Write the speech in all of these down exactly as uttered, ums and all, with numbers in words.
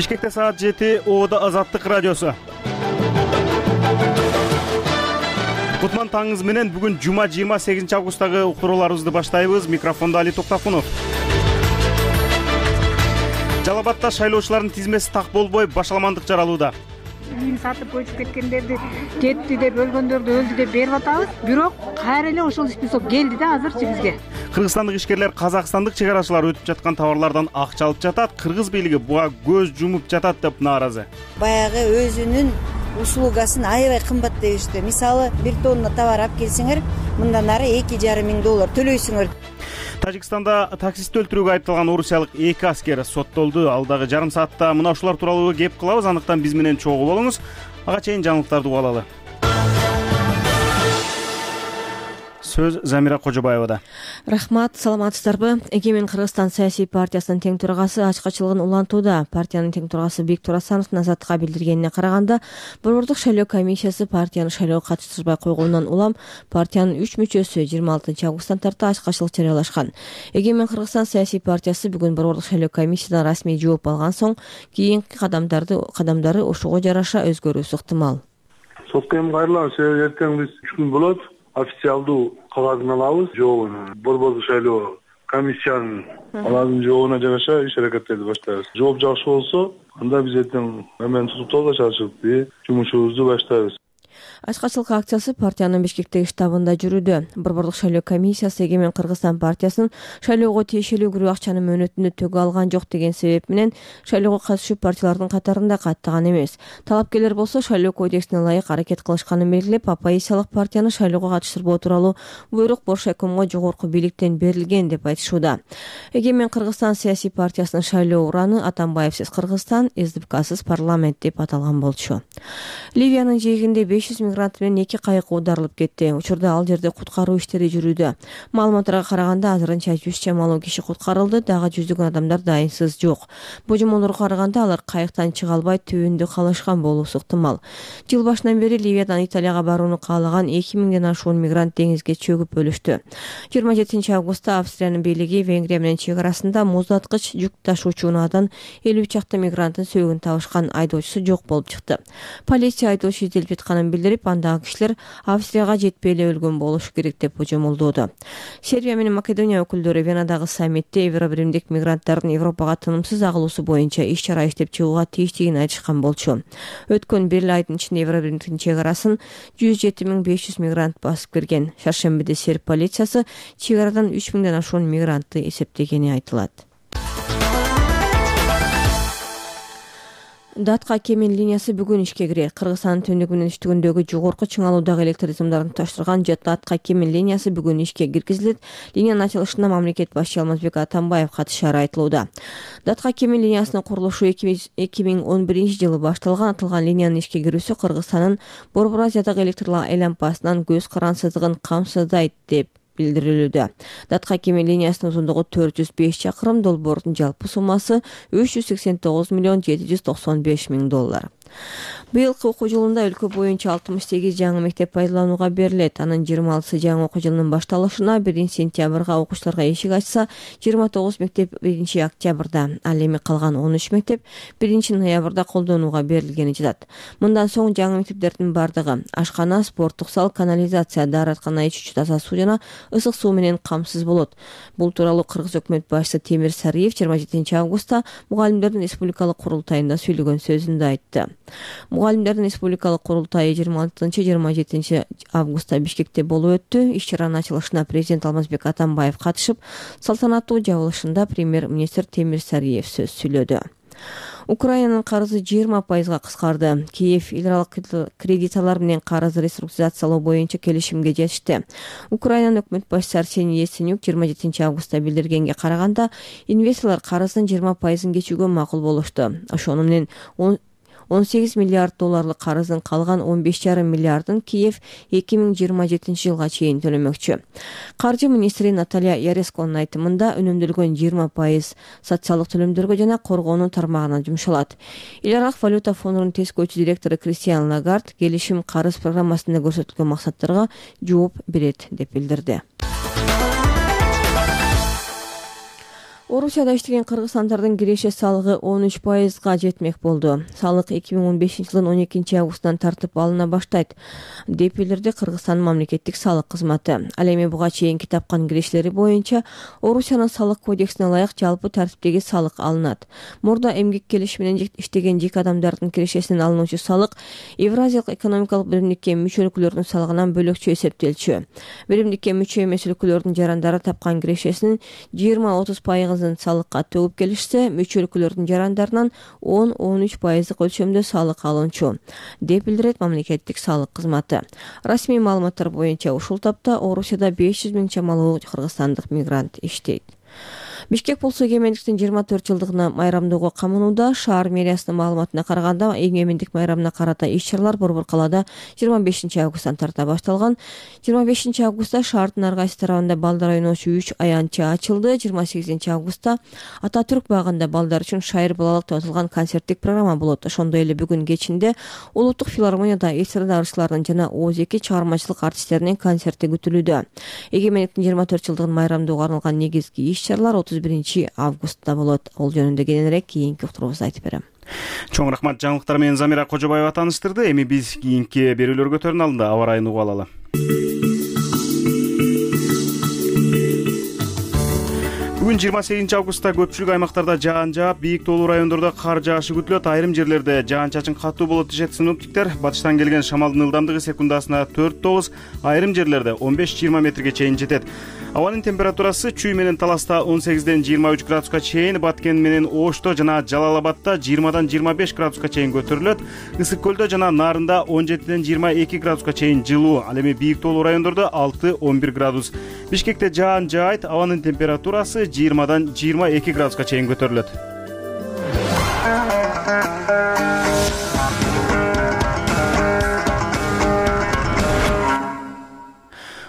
Бишкекте саат жети, Оодо Азаттык радиосу. Кутман таңыңыз менен бүгүн жума жыйырма сегизинчи августтагы уктурууларыбызды баштайбыз. Микрофондо Али Токтофунов. Жалал Абадта шайлоочулардын тизмеси так болбой башаламандык жаралууда. Үйүн сатып көчүп кеткендерди, кетти деп, өлгөндөрдү өлдү деп берип атабыз. Бирок кайра эле ошол список келди да азырчы бизге. Кыргызстандык ишкерлер казакстандык чек арачылар өтүп жаткан товарлардан акча алып жатат. Кыргыз бийлиги буга көз жумуп жатат деп нааразы. Баягы өзүнүн услугасын аябай кымбат дебишти. Мисалы, бир тонна товар алып келсеңер, мындан ары эки жарым миң доллар төлөйсүңөр. Тажикстанда таксист өлтүрүүгө айыпталган орусиялык эки аскер соттолду. Алдагы жарым саатта мына ушулар тууралуу кеп кылабыз. Андыктан биз менен чогуу болуңуз. Ага чейин жаңылыктарды угуп алалы. Сөз Замира Кожобаевада. Рахмат, саламатсыздарбы? Эгемен Кыргызстан саясий партиясынын тең төрагасы ачкачылыгын улантууда. Партиянын тең төрагасы Бийик Турасановдун Азаттыкка билдиргенине караганда, Борбордук шайлоо комиссиясы партияны шайлоого катыштырбай койгондон улам партиянын үч мүчөсү жыйырма алтынчы августтан тарта ачкачылык жарыялашкан. Эгемен Кыргызстан саясий партиясы бүгүн Борбордук шайлоо комиссиядан расмий жооп алган соң кийинки кадамдарды кадамдары ошого жараша өзгөрүүсү ыктымал. Сотко эми кайрылабыз. Эртең биз үч күн болот. Официалдуу кагазын алабыз, жообун. Борбордук шайлоо комиссиянын алардын жообуна жараша иш аракеттерди баштайбыз. Жооп жакшы болсо, анда биз эртең эмен тутуктоого чалышып, жумушубузду баштайбыз. Ачкачылык акциясы партиянын Бишкектеги штабында жүрүүдө. Борбордук шайлоо комиссиясы Эгемен Кыргызстан партиясынын шайлоого тиешелүү кирүү акчанын мөөнөтүндө төгө алган жок деген себеп менен шайлоого катышуу партиялардын катарында каттаган эмес. Талапкерлер болсо шайлоо кодексине ылайык аракет кылышканын белгилеп, оппозициялык партияны шайлоого катыштырбоо тууралуу буйрук Боршайкомго жогорку бийликтен берилген деп айтышууда. Эгемен Кыргызстан саясий партиясынын шайлоо ураны Атамбаевсиз Кыргызстан, СДПКсыз парламент деп аталган болчу. Ливиянын жээгинде беш жүз мигрант менен эки кайык оодарылып кетти. Учурда ал жерде куткаруу иштери жүрүүдө. Маалыматтарга караганда азырынча жүз чамалуу киши куткарылды, дагы жүздөгөн адамдар дайынсыз жок. Божомолдорго караганда алар кайыктан чыга албай түбүндө калышкан болуусу ыктымал. Жыл башынан бери Ливиядан Италияга барууну каалаган эки миңден ашуун мигрант деңизге чөгүп өлүштү. жыйырма жетинчи августта Австриянын бийлиги Венгрия менен чек арасында муздаткыч жүк ташуучу унаадан элүү чакты мигранттын сөөгүн табышкан айдоочусу жок болуп чыкты. Полиция айдоочу изделип жатканын билдирип, андагы кишилер Австрияга жетпей эле өлгөн болушу керек деп божомолдоодо. Сербия менен Македония өкүлдөрү Венадагы саммитте Евробиримдик мигранттардын Европага тынымсыз агылуусу боюнча иш чара иштеп чыгууга тийиштигин айтышкан болчу. Өткөн бир айдын ичинде Евробиримдиктин чек арасын жүз жети миң беш жүз мигрант басып кирген. Шаршембиде серб полициясы чек арадан үч миңден ашуун мигрантты эсептегени айтылат. Датка Кемин линиясы бүгүн ишке кирет. Кыргызстандын түндүгү менен түштүгүндөгү жогорку чыңалуудагы электр сымдарын туташтырган Датка Кемин линиясы бүгүн ишке киргизилет. Линиянын ачылышына мамлекет башчы Алмазбек Атамбаев катышары айтылууда. Датка Кемин линиясынын курулушу эки миң он биринчи жылы башталган. Атылган линиянын ишке кирүүсү Кыргызстандын Борбор Азиядагы электр айлампасынан көз карансыздыгын камсыздайт деп билдирилүүдө. Датка Кемин линиясынын узундугу төрт жүз беш чакырым, долбоордун жалпы суммасы үч жүз сексен тогуз миллион жети жүз токсон беш миң доллар. Быйылкы окуу жылында өлкө боюнча алтымыш сегиз жаңы мектеп пайдаланууга берилет. Анын жыйырма алтысы жаңы окуу жылынын башталышына биринчи сентябрга окуучуларга эшик ачса, жыйырма тогуз мектеп биринчи октябрда, ал эми калган он үч мектеп биринчи ноябрда колдонууга берилгени жатат. Мындан соң жаңы мектептердин бардыгы ашкана, спорттук зал, канализация, даараткана, ичүүчү таза суу жана ысык суу менен камсыз болот. Бул тууралуу Кыргыз өкмөт башчысы Темир Сариев жыйырма жетинчи августта мугалимдердин республикалык курултайында сүйлөгөн сөзүндө айтты. Мугалимдердин республикалык курултайы жыйырма алтынчы жыйырма жетинчи августта Бишкекте болуп өттү. Иш чаранын ачылышына президент Алмазбек Атамбаев катышып, салтанаттуу жабылышында премьер-министр Темир Сариев сөз сүйлөдү. Украинанын карызы жыйырма пайызга кыскарды. Киев эл аралык кредиторлор менен карызды реструктуризациялоо боюнча келишимге жетишти. Украинанын өкмөт башчысы Арсений Яценюк жыйырма жетинчи августта билдиргенге караганда, инвесторлор карыздын жыйырма пайызын кечүүгө макул болушту. Ошону менен он сегиз миллиард долларлык карыздын калган он беш жарым миллиардын Киев эки миң жыйырма жетинчи жылга чейин төлөмөкчү. Каржы министри Наталья Яресконун айтымында өнөмдөлгөн жыйырма пайыз социалдык төлөмдөргө жана коргоонун тармагына жумшалат. Эл аралык валюта фондунун тескөөчү директору Кристиан Лагард келишим карыз программасында көрсөтүлгөн максаттарга жооп берет деп билдирди. Орусияда иштеген кыргызстандардын киреше салыгы он үч пайызга жетмек болду. Салык эки миң он бешинчи жылдын он экинчи августунан тартып алына баштайт деп билдирди Кыргызстандын мамлекеттик салык кызматы. Ал эми буга чейинки тапкан кирешелери боюнча Орусиянын салык кодексине ылайык жалпы тартиптеги салык алынат. Мурда эмгек келишими менен иштеген жеке адамдардын кирешесинен алынуучу салык Евразиялык экономикалык биримдикке мүчө өлкөлөрдүн салыгынан бөлөкчө эсептелчү. Биримдикке мүчө эмес өлкөлөрдүн жарандары тапкан кирешесинин жыйырма отуз пайызын салыкка төгүп келишсе, мүчө өлкөлөрдүн жарандарынан он он үч пайыздык өлчөмдө салык алынчу деп билдирет мамлекеттик салык кызматы. Расмий маалыматтар боюнча ушул тапта Орусияда беш жүз миң чамалуу кыргызстандык мигрант иштейт. Бишкек болсо эгемендиктин жыйырма төрт жылдыгына майрамдоого камынууда. Шаар мэриясынын маалыматына караганда, эгемендик майрамына карата иш-чаралар Борбор калаада жыйырма бешинчи августтан тарта башталган. жыйырма бешинчи августта шаардын ар кайсы тарабында балдар ойноочу үч аянтча ачылды. жыйырма сегизинчи августта Ататүрк багында балдар үчүн шайыр балалык деп аталган концерттик программа болот. Ошондой эле бүгүн кечинде Улуттук филармонияда эстрадарчылардын жана Оз эки чыгармачылык артисттеринин концерти күтүлүүдө. Эгемендиктин жыйырма төрт жылдыгын майрамдоого арналган негизги иш-чаралар отуз биринчи августта болот. Ол жөнүндө кененирээк кийинки уктурубузда айтып берем. Чоң рахмат, жаңылыктар менен Замира Кожобаева тааныштырды. Эми биз кийинки берүүлөргө өтөрүн алдында аба ырайын угуп алалы. Бүгүн жыйырма сегизинчи августта көпчүлүк аймактарда жаан жаап, бийик тоолуу райондордо кар жаашы күтүлөт. Айрым жерлерде жаан-чачын катуу болот дешет синоптиктер. Батыштан келген шамалдын ылдамдыгы секундасына төрт тогуз, айрым жерлерде он беш жыйырма метрге чейин жетет. Абанын температурасы Чүй менен Таласта он сегизден жыйырма үч градуска чейин, Баткен менен Ошто жана Жалал-Абадта жыйырмадан жыйырма беш градуска чейин көтөрүлөт. Ысык көлдө жана Нарында он жетиден жыйырма эки градуска чейин жылуу. Ал эми бийик тоолуу райондордо алты он бир градус. Бишкекте жаан жаайт, абанын температурасы жыйырмадан жыйырма эки градуска чейин көтөрүлөт.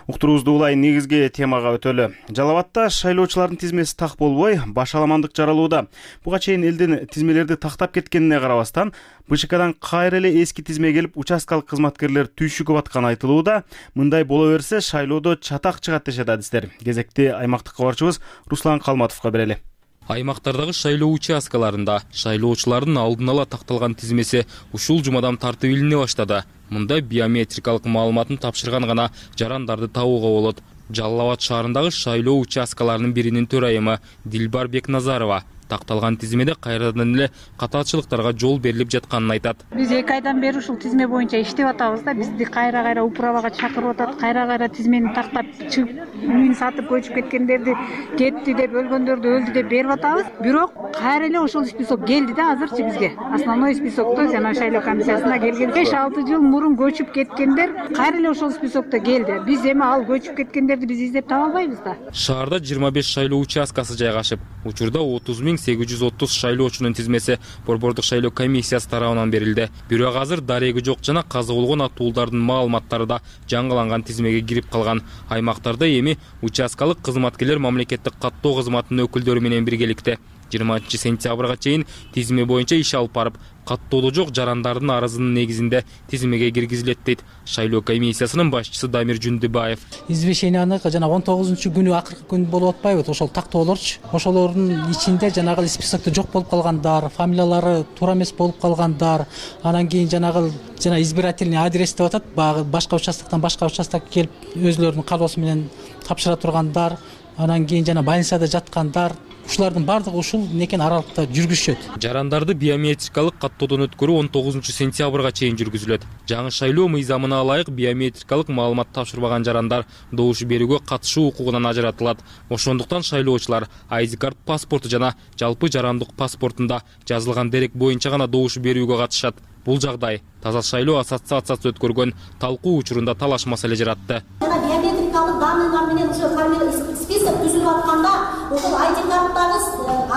Уктуруубузду улай негизги темага өтөлү. Жалал Абадта шайлоочулардын тизмеси так болбой, башаламандык жаралууда. Буга чейин элдин тизмелерди тактап кеткенине карабастан, БШКдан кайра эле эски тизме келип, участкалык кызматкерлер түйшүгүп атканы айтылууда. Мындай боло берсе, шайлоодо чатак чыгат дешет адистер. Кезекти аймактык кабарчыбыз Руслан Калматовго берели. Аймактардагы шайлоо участкаларында шайлоочулардын алдын ала такталган тизмеси ушул жумадан тартып илине баштады. Мында биометрикалык маалыматын тапшырган гана жарандарды табууга болот. Жалал Абад шаарындагы шайлоо участкаларынын биринин төрайымы Дилбар Бекназарова такталган тизмеде кайрадан эле катаачылыктарга жол берилип жатканын айтат. Биз эки айдан бери ушул тизме боюнча иштеп атабыз да, бизди кайра-кайра управага чакырып атат, кайра-кайра тизмени тактап чыгып, үйүн сатып көчүп кеткендерди кетти деп, өлгөндөрдү өлдү деп берип атабыз. Бирок кайра эле ошол список келди да азырчы бизге. Основной списокто жана шайлоо комиссиясына келген беш алты жыл мурун көчүп кеткендер кайра эле ошол списокто келди. Биз эми ал көчүп кеткендерди биз издеп таба албайбыз да. Шаарда жыйырма беш шайлоо участкасы жайгашып, учурда отуз миң сегиз жүз отуз шайлоочунун тизмеси Борбордук шайлоо комиссиясы тарабынан берилди. Бирок азыр дареги жок жана каза болгон атуулдардын маалыматтары да жаңыланган тизмеге кирип калган. Аймактарда эми участкалык кызматкерлер мамлекеттик каттоо кызматынын өкүлдөрү менен биргеликте жыйырманчы сентябрга чейин тизме боюнча иш алып барып, каттоодо жок жарандардын арызынын негизинде тизмеге киргизилет дейт шайлоо комиссиясынын башчысы Дамир Жүндүбаев. Извещенияны жана он тогузунчу күнү акыркы күн болуп атпайбы, ошол тактоолорчу. Ошолордун ичинде жанагы списокто жок болуп калгандар, фамилиялары туура эмес болуп калгандар, анан кийин жанагы жана избирательный адрес деп атат, баягы башка участоктон башка участокко келип өзүлөрүнүн калоосу менен тапшыра тургандар, анан кийин жана больницада жаткандар, ушулардын бардыгы ушул некен аралыкта жүргүзүшөт. Жарандарды биометрикалык каттоодон өткөрүү он тогузунчу сентябрга чейин жүргүзүлөт. Жаңы шайлоо мыйзамына ылайык биометрикалык маалымат тапшырбаган жарандар добуш берүүгө катышуу укугунан ажыратылат. Ошондуктан шайлоочулар ай ди карт паспорту жана жалпы жарандык паспортунда жазылган дерек боюнча гана добуш берүүгө катышат. Бул жагдай Таза шайлоо ассоциациясы өткөргөн талкуу учурунда талаш маселе жаратты. Биометрикалык данныйлар менен ошо фамилия список түзүлүп атканда, ошол ай ди карттагы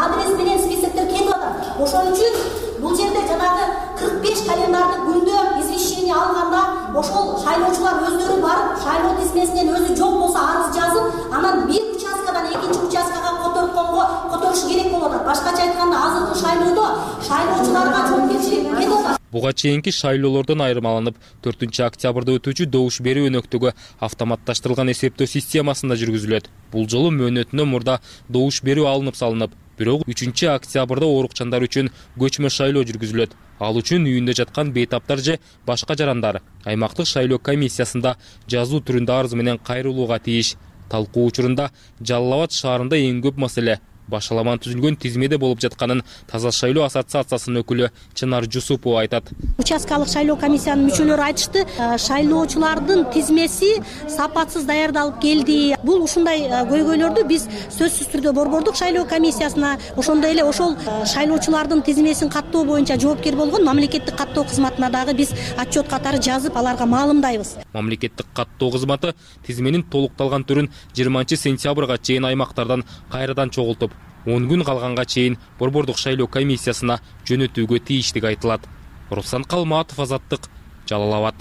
адрес менен списоктер кетип атат. Ошон үчүн бул жерде жанагы кырк беш календардык күндө извещение алганда, ошол шайлоочулар өздөрү барып, шайлоо тизмесинен өзү жок болсо арыз жазып, анан бир участкадан экинчи участкага которгонго которуш керек болуп атат. Башкача айтканда, азыркы шайлоодо шайлоочуларга жоопкерчилик кетип атат. Буга чейинки шайлоолордон айырмаланып, төртүнчү октябрда өтүүчү добуш берүү өнөктөгү автоматташтырылган эсептөө системасында жүргүзүлөт. Бул жолу мөөнөтүнөн мурда добуш берүү алынып салынып, бирок үчүнчү октябрда оорукчандар үчүн көчмө шайлоо жүргүзүлөт. Ал үчүн үйүндө жаткан бейтаптар же башка жарандар аймактык шайлоо комиссиясында жазуу түрүндө арыз менен кайрылууга тийиш. Талкуу учурунда Жалал Абад шаарында эң көп маселе башаламан түзүлгөн тизмеде болуп жатканын Таза шайлоо ассоциациясынын өкүлү Чынар Жусупова айтат. Участкалык шайлоо комиссиянын мүчөлөрү айтышты, шайлоочулардын тизмеси сапатсыз даярдалып келди. Бул ушундай көйгөйлөрдү биз сөзсүз түрдө Борбордук шайлоо комиссиясына, ошондой эле ошол шайлоочулардын тизмесин каттоо боюнча жоопкер болгон мамлекеттик каттоо кызматына дагы биз отчет катары жазып, аларга маалымдайбыз. Мамлекеттик каттоо кызматы тизменин толукталган түрүн жыйырманчы сентябрга чейин аймактардан кайрадан чогултуп, он күн калганга чейин Борбордук шайлоо комиссиясына жөнөтүүгө тийиштиги айтылат. Руслан Калматов, Азаттык, Жалал Абад.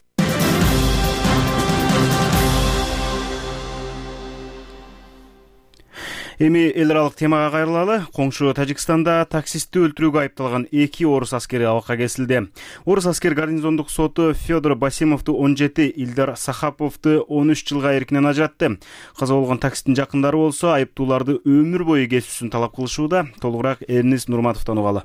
Эми эл аралык темага кайрылалы. Коңшу Тажикстанда таксистти өлтүрүүгө айыпталган эки орус аскери абакка кесилди. Орус аскер гарнизондук соту Федор Басимовду он жети, Илдар Сахаповду он үч жылга эркинен ажыратты. Каза болгон таксисттин жакындары болсо айыптууларды өмүр бою кесүүсүн талап кылышууда. Толугураак Эрнис Нурматовдон угалы.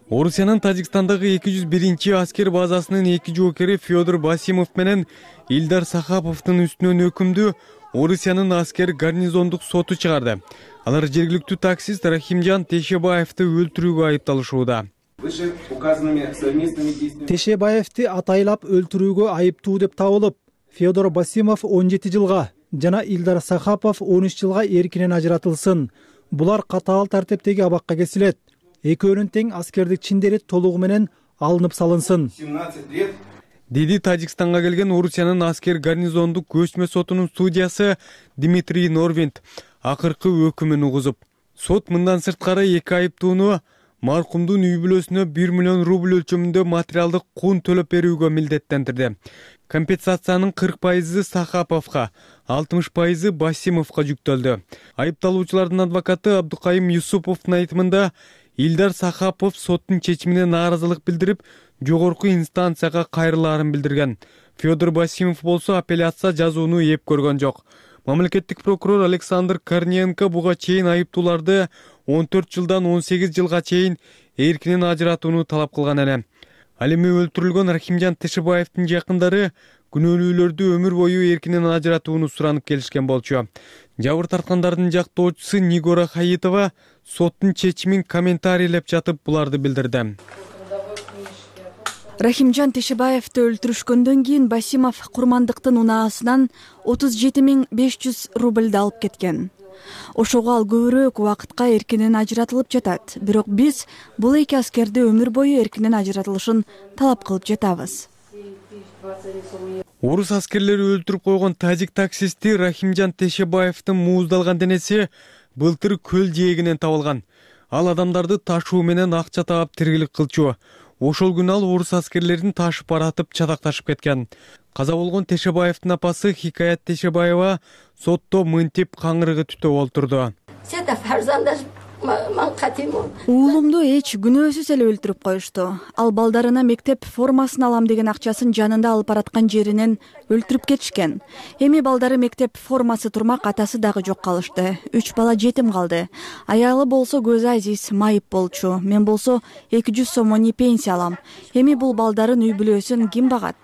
Орусиянын Тажикстандагы эки жүз биринчи аскер базасынын эки жоокери Федор Басимов менен Илдар Сахаповдун үстүнөн өкүмдү Орусиянын аскер гарнизондук соту чыгарды. Алар жергиликтүү таксист Рахимжан Тешебаевди өлтүрүүгө айыпталышууда. Тешебаевди атайлап өлтүрүүгө айыптуу деп табылып, Федор Басимов он жети жылга жана Илдар Сахапов он үч жылга эркинен ажыратылсын. Булар катаал тартиптеги абакка кесилет. Экөөнүн тең аскердик чиндери толугу менен алынып салынсын, деди Тажикстанга келген Орусиянын аскер гарнизондук көчмө сотунун судьясы Дмитрий Норвинд акыркы өкүмүн угузуп. Сот мындан сырткары эки айыптууну маркумдун үй бүлөсүнө бир миллион рубль өлчөмүндө материалдык кун төлөп берүүгө милдеттендирди. Компенсациянын кырк пайызы Сахаповго, алтымыш пайызы Басимовго жүктөлдү. Айыпталуучулардын адвокаты Абдукайым Юсуповдун айтымында Илдар Сахапов соттун чечимине нааразылык билдирип, жогорку инстанцияга кайрылаарын билдирген. Федор Басимов болсо апелляция жазууну эп көргөн жок. Мамлекеттик прокурор Александр Корниенко буга чейин айыптууларды он төрт жылдан он сегиз жылга чейин эркинен ажыратууну талап кылган эле. Ал эми өлтүрүлгөн Рахимжан Тешебаевдин жакындары күнөөлүүлөрдү өмүр бою эркинен ажыратууну суранып келишкен болчу. Жабыр тарткандардын жактоочусу Нигора Хаитова соттун чечимин комментарийлеп жатып буларды билдирди. Рахимжан Тешебаевди өлтүрүшкөндөн кийин Басимов курмандыктын унаасынан отуз жети миң беш жүз рубльды алып кеткен. Ошого ал көбүрөөк убакытка эркинен ажыратылып жатат. Бирок биз бул эки аскерди өмүр бою эркинен ажыратылышын талап кылып жатабыз. Орус аскерлери өлтүрүп койгон тажик таксисти Рахимжан Тешебаевдин мууздалган денеси былтыр көл жээгинен табылган. Ал адамдарды ташуу менен акча таап тиргилик кылчу. Ошол күнү ал орус аскерлерин ташып баратып чатакташып кеткен. Каза болгон Тешебаевдин апасы Хикаят Тешебаева сотто мынтип каңырыгы түтөп олтурду. Уулумду эч күнөөсүз эле өлтүрүп коюшту. Ал балдарына мектеп формасын алам деген акчасын жанында алып бараткан жеринен өлтүрүп кетишкен. Эми балдары мектеп формасы турмак, атасы дагы жок калышты. Үч бала жетим калды. Аялы болсо көзү азиз майып болчу. Мен болсо эки жүз сомони пенсия алам. Эми бул балдарын үй бүлөсүн ким багат?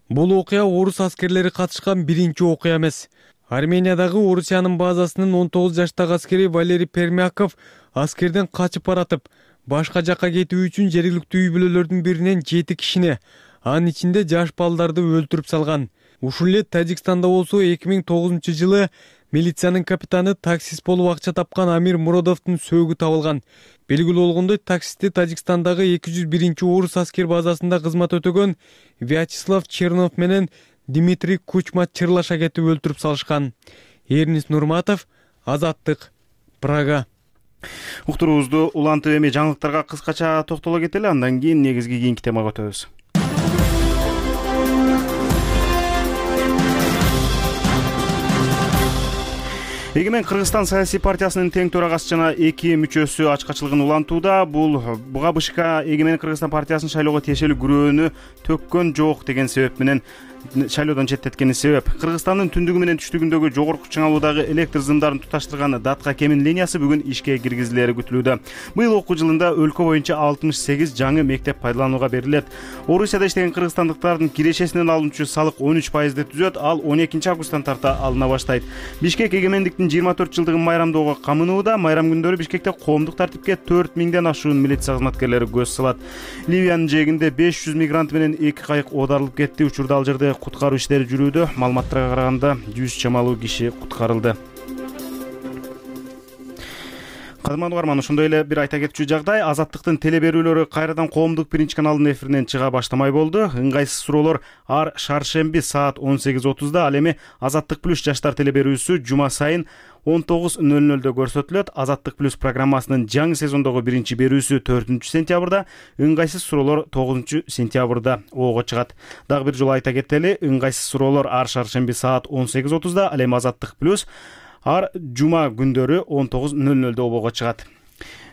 Бул окуя орус аскерлери катышкан биринчи окуя эмес. Армениядагы Орусиянын базасынын он тогуз жаштагы аскери Валерий Пермяков аскерден качып баратып, башка жакка кетүү үчүн жергиликтүү үй бүлөлөрдүн биринен жети кишини, анын ичинде жаш балдарды өлтүрүп салган. Ушул эле Тажикстанда болсо эки миң тогузунчу жылы милициянын капитаны таксист болуп акча тапкан Амир Муродовдун сөөгү табылган. Белгилүү болгондой, таксистти Тажикстандагы эки жүз биринчи орус аскер базасында кызмат өтөгөн Вячеслав Чернов менен Дмитрий Кучма чырлаша кетип өлтүрүп салышкан. Эрнис Нурматов, Азаттык, Прага. Уктуруубузду улантып эми жаңылыктарга кыскача токтоло кетели, андан кийин негизги кийинки темага өтөбүз. Эгемен Кыргызстан саясий партиясынын тең төрагасы жана эки мүчөсү ачкачылыгын улантууда. Бул буга БШК Эгемен Кыргызстан партиясынын шайлоого тиешелүү күрөөнү төккөн жок деген себеп менен шайлоодон четтеткени себеп. Кыргызстандын түндүгү менен түштүгүндөгү жогорку чыңалуудагы электр сымдарын туташтырган Датка Кемин линиясы бүгүн ишке киргизилери күтүлүүдө. Быйыл окуу жылында өлкө боюнча алтымыш сегиз жаңы мектеп пайдаланууга берилет. Орусияда иштеген кыргызстандыктардын кирешесинен алынчу салык он үч пайызды түзөт, ал он экинчи августтан тарта алына баштайт. Бишкек эгемендиктин жыйырма төрт жылдыгын майрамдоого камынууда. Майрам күндөрү Бишкекте коомдук тартипке төрт миңден ашуун милиция кызматкерлери көз салат. Ливиянын жээгинде беш жүз мигрант менен эки кайык оодарылып кетти. Учурда ал жерде куткаруу иштери жүрүүдө. Маалыматтарга караганда жүз чамалуу киши куткарылды. Кадырман угарман, ошондой эле бир айта кетчү жагдай. Азаттыктын теле берүүлөрү кайрадан коомдук биринчи каналдын эфиринен чыга баштамай болду. Ыңгайсыз суроолор ар шаршемби саат он сегиз отузда, ал эми Азаттык плюс жаштар теле берүүсү жума сайын он тогуз нөл нөлдө көрсөтүлөт. Азаттык плюс программасынын жаңы сезондогу биринчи берүүсү төртүнчү сентябрда, ыңгайсыз суроолор тогузунчу сентябрда оого чыгат. Дагы бир жолу айта кетели, ыңгайсыз суроолор ар шаршемби саат он сегиз отузда, ал эми Азаттык плюс ар жума күндөрү он тогуз нөл нөлдө обого чыгат.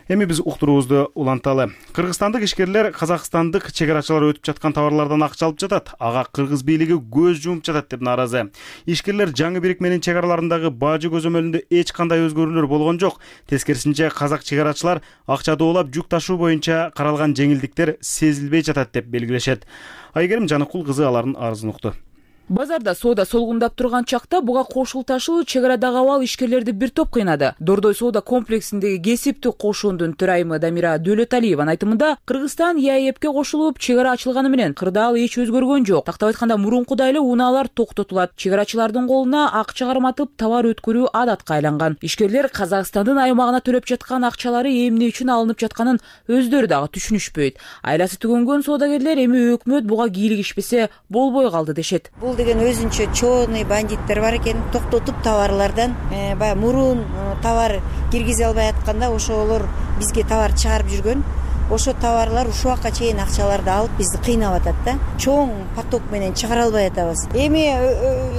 Эми биз уктуруубузду уланталы. Кыргызстандык ишкерлер казакстандык чегарачылар өтүп жаткан товарлардан акча алып жатат. Ага кыргыз бийлиги көз жумуп жатат деп нааразы. Ишкерлер жаңы бирикменин чегараларындагы бажы көзөмөлүндө эч кандай өзгөрүүлөр болгон жок. Тескерисинче казак чегарачылар акча доолап жүк ташуу боюнча каралган жеңилдиктер сезилбей жатат деп белгилешет. Айгерим Жаныкул кызы алардын арызын укту. Базарда соода солгундап турган чакта буга кошулташуу чегарадагы абал ишкерлерди бир топ кыйнады. Дордой соода комплексиндеги кесиптик кошуундун төрайымы Дамира Дөлөталиеванын айтымында, Кыргызстан ЕАЭПке кошулуп, чегара ачылганы менен кырдаал эч өзгөргөн жок. Тактап айтканда, мурункудай эле унаалар токтотулат. Чегарачылардын колуна акча карматып товар өткөрүү адатка айланган. Ишкерлер Казакстандын аймагына төлөп жаткан акчалары эмне үчүн алынып жатканын өздөрү дагы түшүнүшпөйт. Айласы түгөнгөн соодагерлер эми өкмөт буга кийлигишпесе болбой калды дешет. Деген өзүнчө чоонный бандиттер бар экен, токтотуп товарлардан баягы мурун товар киргизе албай атканда ошолор бизге товар чыгарып жүргөн. Ошо товарлар ушул убакка чейин акчаларды алып бизди кыйнап атат да. Чоң поток менен чыгара албай атабыз. Эми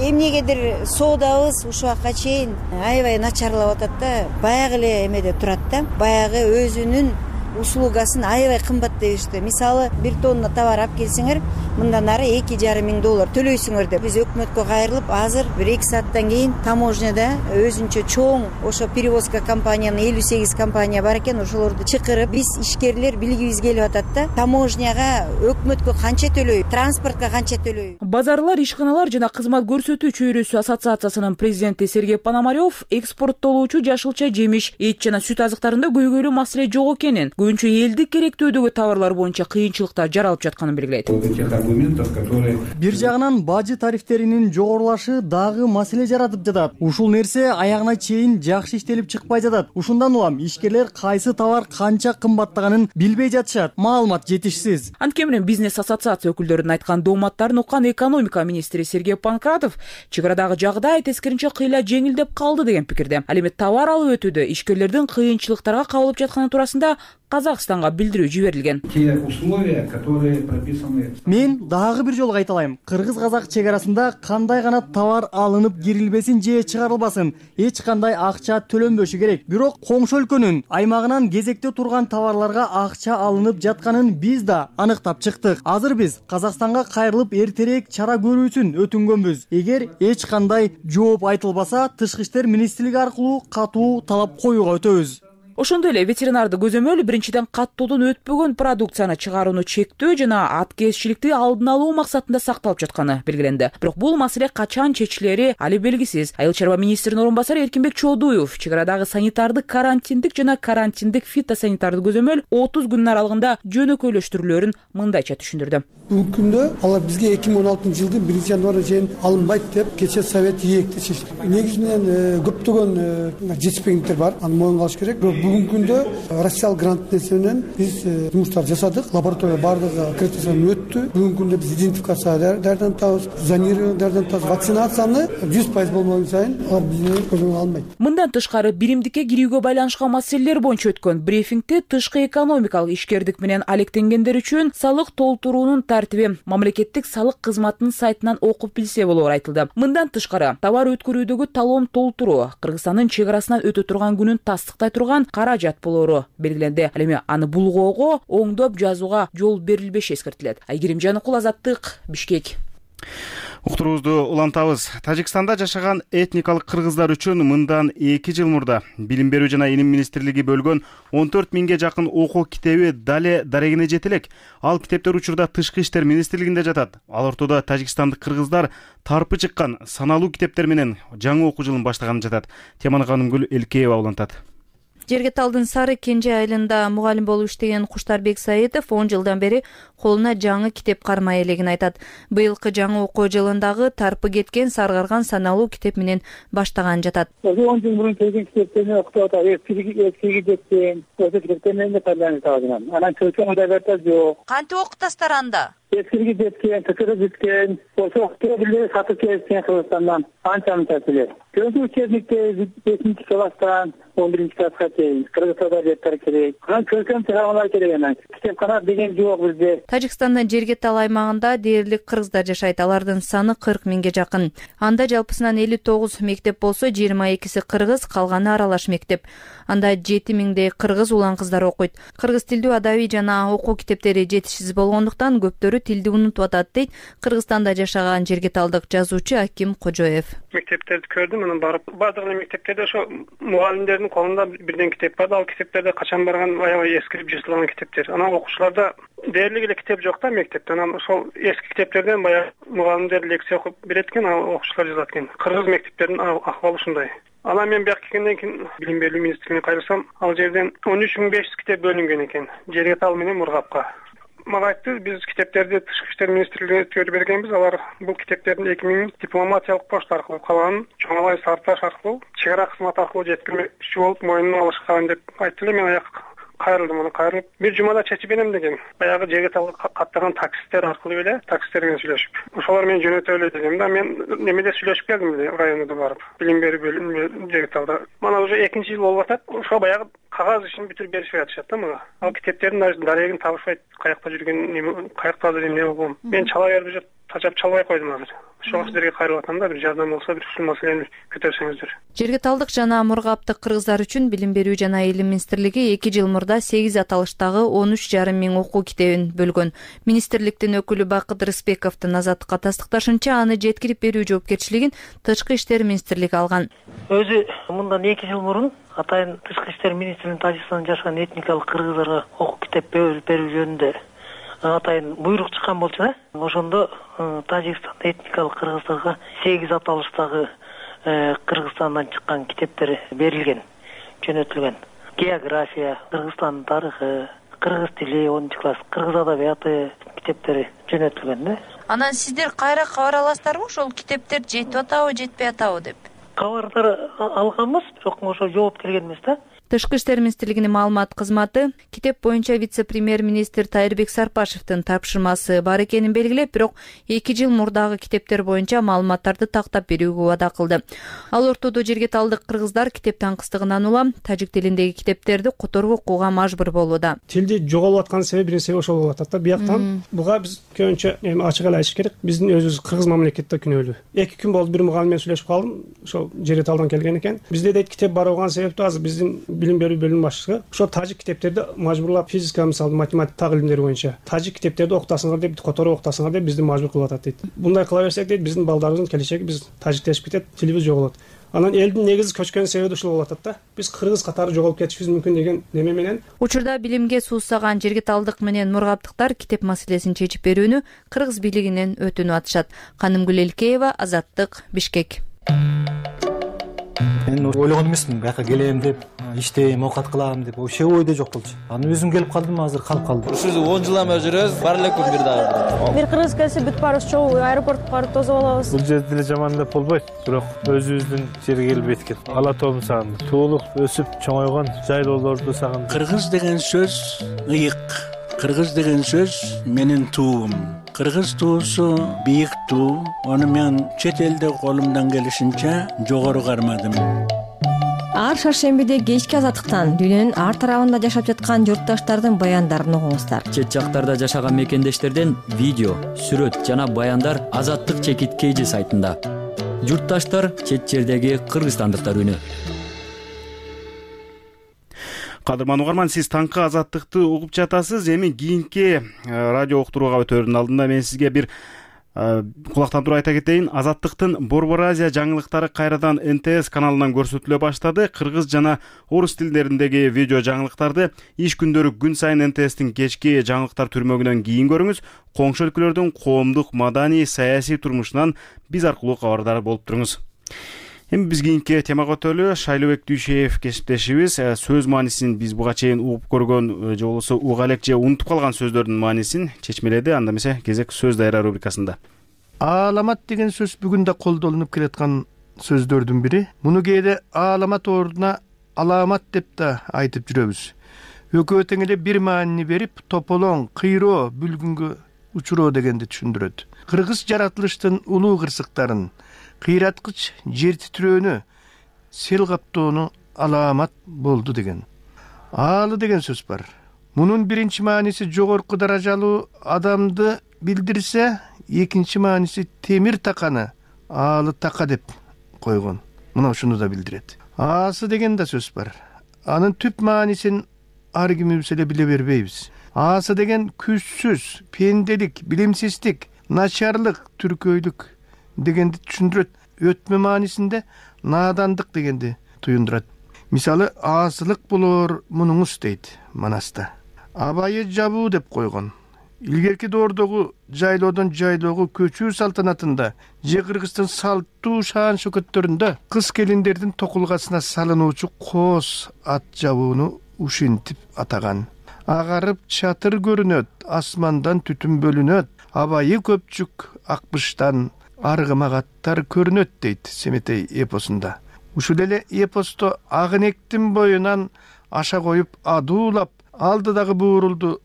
эмнегедир соодабыз ушул убакка чейин аябай начарлап атат да. Баягы эле эмеде турат да. Баягы өзүнүн услугасын аябай кымбат дебишти. Мисалы, бир тонна товар алып келсеңер, мындан ары эки жарым миң доллар төлөйсүңөр деп. Биз өкмөткө кайрылып, азыр бир эки сааттан кийин таможняда өзүнчө чоң ошо перевозка компаниянын элүү сегиз компания бар экен, ошолорду чакырып, биз ишкерлер билгибиз келип атат да. Таможняга өкмөткө канча төлөйбүз, транспортко канча төлөйбүз. Базарлар, ишканалар жана кызмат көрсөтүү чөйрөсү ассоциациясынын президенти Сергей Пономарев экспорттолуучу жашылча жемиш, эт жана сүт азыктарында көйгөйлүү маселе жок экенин, көбүнчө элдик керектөөдөгү товарлар боюнча кыйынчылыктар жаралып жатканын белгилейт. Бир жагынан бажы тарифтеринин жогорулашы дагы маселе жаратып жатат. Ушул нерсе аягына чейин жакшы иштелип чыкпай жатат. Ушундан улам ишкерлер кайсы товар канча кымбаттаганын билбей жатышат. Маалымат жетишсиз. Анткени менен бизнес ассоциация өкүлдөрүнүн айткан дооматтарын уккан экономика министри Сергей Панкратов чегарадагы жагдай тескеринче кыйла жеңилдеп калды деген пикирде. Ал эми товар алып өтүүдө ишкерлердин кыйынчылыктарга кабылып жатканы туурасында Казакстанга билдирүү жиберилген. Те условия, которые прописаны. Мен дагы бир жолу кайталайм. Кыргыз-казак чегарасында кандай гана товар алынып кирилбесин же чыгарылбасын, эч кандай акча төлөнбөшү керек. Бирок коңшу өлкөнүн аймагынан кезекте турган товарларга акча алынып жатканын биз да аныктап чыктык. Азыр биз Казакстанга кайрылып эртерээк чара көрүүсүн өтүнгөнбүз. Эгер эч кандай жооп айтылбаса, тышкы иштер министрлиги аркылуу катуу талап коюуга өтөбүз. Ошондой эле ветеринардык көзөмөл биринчиден каттоодон өтпөгөн продукцияны чыгарууну чектөө жана аткезчиликти алдын алуу максатында сакталып жатканы белгиленди. Бирок бул маселе качан чечилери али белгисиз. Айыл чарба министринин орун басары Эркинбек Чоодуев чегарадагы санитардык карантиндик жана карантиндик фитосанитардык көзөмөл отуз күн аралыгында жөнөкөйлөштүрүлөөрүн мындайча түшүндүрдү. Бүгүнкү күндө алар бизге эки миң он алтынчы жылдын биринчи январына чейин алынбайт деп кече совет ийекти чечти. Негизи менен көптөгөн жетишпегендиктер бар, аны моюнга алыш керек. Бирок бүгүнкү күндө россиялык грант нерсе менен биз жумуштар жасадык. Лаборатория баардыгы аккредитациядан өттү. Бүгүнкү күндө биз идентификация даярдан атабыз, зонирование даярдан атабыз. Вакцинацияны жүз пайыз болмогон сайын алар бизди көзөмөл алмайт. Мындан тышкары биримдикке кирүүгө байланышкан маселелер боюнча өткөн брифингде тышкы экономикалык ишкердик менен алектенгендер үчүн салык толтуруунун тартиби мамлекеттик салык кызматынын сайтынан окуп билсе болоор айтылды. Мындан тышкары товар өткөрүүдөгү талон толтуруу Кыргызстандын чек арасынан өтө турган күнүн тастыктай турган каражат болоору белгиленди. Ал эми аны булгоого оңдоп жазууга жол берилбеши эскертилет. Айгерим Жаныкул, Азаттык, Бишкек. Уктуруубузду улантабыз. Тажикстанда жашаган этникалык кыргыздар үчүн мындан эки жыл мурда Билим берүү жана илим министрлиги бөлгөн он төрт миңге жакын окуу китеби дале дарегине жете элек. Ал китептер учурда Тышкы иштер министрлигинде жатат. Ал ортодо тажикстандык кыргыздар тарпы чыккан саналуу китептер менен жаңы окуу жылын баштаганы жатат. Теманы Канымгүл Элкеева улантат. Жергеталдын Сары Кенже айылында мугалим болуп иштеген Куштарбек Саитов он жылдан бери колуна жаңы китеп кармай элегин айтат. Быйылкы жаңы окуу жылындагы тарпы кеткен саргарган саналуу китеп менен баштаган жатат. он жыл мурун келген китептерди окутуп атат. Эскиги жеткен, осы китептер менен пайдаланып атам. Анан чөчөң модаберта жок. Кантип окутасыздар анда? Эскиги жеткен, тыкыры жеткен, ошо китептерди сатып келишкен Кыргызстандан анча-мынча келет. Көбү учебникте бешинчи класстан он биринчи класска чейин кыргыз адабияттары керек. Анан көркөм чыгармалар керек анан. Китепкана деген жок бизде. Тажикстандын Жергетал аймагында дээрлик кыргыздар жашайт. Алардын саны кырк миңге жакын. Анда жалпысынан элүү тогуз мектеп болсо, жыйырма экиси кыргыз, калганы аралаш мектеп. Анда жети миңдей кыргыз улан кыздар окуйт. Кыргыз тилдүү адабий жана окуу китептери жетишсиз болгондуктан көптөрү тилди унутуп атат дейт Кыргызстанда жашаган жергеталдык жазуучу Аким Кожоев. Мектептерди көрдүм, анан барып баардык мектептерде ошо мугалимдердин колунда бирден китеп бар. Ал китептерде качан барган аябай эскирип жыртылган китептер. Анан окуучуларда дээрлик эле китеп жок да мектепте. Анан ошол эски китептерден баягы мугалимдер лекция окуп берет экен, окуучулар жазат экен. Кыргыз мектептеринин акыбалы ушундай. Анан мен бияка келгенден кийин Билим берүү министрлигине кайрылсам, ал жерден он үч миң беш жүз китеп бөлүнгөн экен. Жергетал менен Мургапка. Мага айтты, биз китептерди Тышкы иштер министрлигине өткөрүп бергенбиз. Алар бул китептердин эки миң дипломатиялык почта аркылуу, калганын Чоңалай Сарташ аркылуу, чек ара кызматы аркылуу жеткирмекчи болуп моюнуна алышкан деп айтты эле. Мен аяк кайрылдым, аны кайрылып бир жумада чечип берем деген. Баягы Жергеталга каттаган таксисттер аркылуу эле таксисттер менен сүйлөшүп. Ошолор мени жөнөтө эле дегем да. Мен немеде сүйлөшүп келдим эле районда барып. Билим берүү бөлүмүнө Жергеталда. Мана уже экинчи жыл болуп атат. Ошо баягы кагаз ишин бүтүрүп беришип атышат да мага. Ал китептердин дарегин табышпайт. Каякта жүргөн, каякта эмне болгон. Мен чала берип жүрүп, тажап чалбай койдум азыр. Ошого сиздерге кайрылып атам да, бир жардам болсо, бир ушул маселени көтөрсөңүздөр. Жергеталдык жана Мургаптык кыргыздар үчүн Билим берүү жана илим министрлиги эки жыл мурда сегиз аталыштагы он үч жарым миң окуу китебин бөлгөн. Министрликтин өкүлү Бакыт Рыспековдун Азаттыкка тастыкташынча, аны жеткирип берүү жоопкерчилигин Тышкы иштер министрлиги алган. Өзү мындан эки жыл мурун атайын Тышкы иштер министринин Тажикстанда жашаган этникалык кыргыздарга окуу китеп берүү жөнүндө атайын буйрук чыккан болчу да. Ошондо Тажикстанда этникалык кыргыздарга сегиз аталыштагы Кыргызстандан чыккан китептер берилген, жөнөтүлгөн. География, Кыргызстандын тарыхы, кыргыз тили онунчу класс, кыргыз адабияты китептери жөнөтүлгөн да. Анан сиздер кайра кабар аласыздарбы, ошол китептер жетип атабы, жетпей атабы деп? Кабардар алганбыз, бирок ошо жооп келген эмес да. Тышкы иштер министрлигинин маалымат кызматы китеп боюнча вице-премьер-министр Тайырбек Сарпашевдин тапшырмасы бар экенин белгилеп, бирок эки жыл мурдагы китептер боюнча маалыматтарды тактап берүүгө убада кылды. Ал ортодо жергеталдык кыргыздар китеп таңкыстыгынан улам тажик тилиндеги китептерди которуп окууга мажбур болууда. Тилди жоголуп аткан себеби бир нерсе ошол болуп атат да. Бияктан буга биз көбүнчө эми ачык эле айтыш керек. Биздин өзүбүз кыргыз мамлекетте күнөөлүү. эки күн болду бир мугалим менен сүйлөшүп калдым. Ошол Жергеталдан келген экен. Бизде дейт китеп бар болгон себептүү азыр биздин Билим берүү бөлүм башчысы ошо тажик китептерди мажбурлап физика, мисалы математика, так илимдери боюнча тажик китептерди окутасыңар деп, которуп окутасыңар деп бизди мажбур кылып атат дейт. Мындай кыла берсек дейт, биздин балдарыбыздын келечеги биз тажиктешип кетет, тилибиз жоголот. Анан элдин негизи көчкөн себеби ушул болуп атат да. Биз кыргыз катары жоголуп кетишибиз мүмкүн деген неме менен. Учурда билимге суусаган жергеталдык менен мургаптыктар китеп маселесин чечип берүүнү кыргыз бийлигинен өтүнүп атышат. Канымгүл Элкеева, Азаттык, Бишкек. мен ойлогон эмесмин бияка келем деп, иштейм, оокат кылам деп, вообще ойдо жок болчу. Анан өзүм келип калдым, азыр калып калдым. Ушул он жыл эме жүрөбүз, бар элекпи бир дагы. Бир кыргыз келсе бүт баарыбыз чогуу аэропортко барып тосуп алабыз. Бул жер деле жаман деп болбойт, бирок өзүбүздүн жерге келип эткен. Ала тоомду сагындым. Туулуп, өсүп, чоңойгон жайлоолорду сагындым. Кыргыз деген сөз ыйык. Кыргыз деген сөз менин туум. Кыргыз туусу бийик туу. Аны мен чет элде колумдан келишинче жогору кармадым. Ар шаршембиде кечки азаттыктан дүйнөнүн ар тарабында жашап жаткан журтташтардын баяндарын угуңуздар. Чет жактарда жашаган мекендештерден видео, сүрөт жана баяндар Азаттык чекит кейжи сайтында. Журтташтар чет жердеги кыргызстандыктар үнү. Кадырман угарман, сиз таңкы Азаттыкты угуп жатасыз. Эми кийинки радио уктурууга өтөөрдүн алдында мен сизге бир кулактан туруп айта кетейин. Азаттыктын Борбор Азия жаңылыктары кайрадан эн тэ эс каналынан көрсөтүлө баштады. Кыргыз жана орус тилдериндеги видео жаңылыктарды иш күндөрү күн сайын эн тэ эстин кечки жаңылыктар түрмөгүнөн кийин көрүңүз. Коңшу өлкөлөрдүн коомдук, маданий, саясий турмушунан биз аркылуу кабардар болуп туруңуз. Эми биз кийинки темага өтөлү. Шайлообек Дүйшеев кесиптешибиз сөз маанисин биз буга чейин угуп көргөн же болбосо уга элек же унутуп калган сөздөрдүн маанисин чечмеледи. Анда эмесе кезек сөз дайра рубрикасында. Ааламат деген сөз бүгүн да колдонулуп келаткан сөздөрдүн бири. Муну кээде ааламат ордуна аламат деп да айтып жүрөбүз. Экөө тең эле бир маанини берип, тополоң, кыйроо, бүлгүнгө учуроо дегенди түшүндүрөт. Кыргыз жаратылыштын улуу кырсыктарын, кыйраткыч жер титирөөнү, сел каптоону аламат болду деген. Аалы деген сөз бар. Мунун биринчи мааниси жогорку даражалуу адамды билдирсе, экинчи мааниси темир таканы аалы така деп койгон. Мына ушуну да билдирет. Аасы деген да сөз бар. Анын түп маанисин ар кимибиз эле биле бербейбиз. Аасы деген күчсүз, пенделик, билимсиздик, начарлык, түркөйлүк дегенди түшүндүрөт. Өтмө маанисинде наадандык дегенди туюндурат. Мисалы, аасылык болоор мунуңуз дейт Манаста. Абайы жабуу деп койгон. Илгерки доордогу жайлоодон жайлоого көчүү салтанатында же Кыргыздын салттуу шаан шөкөттөрүндө кыз келиндердин токулгасына салынуучу коос ат жабууну ушинтип атаган. Агарып чатыр көрүнөт, асмандан түтүн бөлүнөт, абайы көпчүк акбыштан аргымак аттар көрүнөт дейт Семетей эпосунда. Ушул эле эпосто Агынектин боюнан аша коюп адуулап, алдыдагы буурулду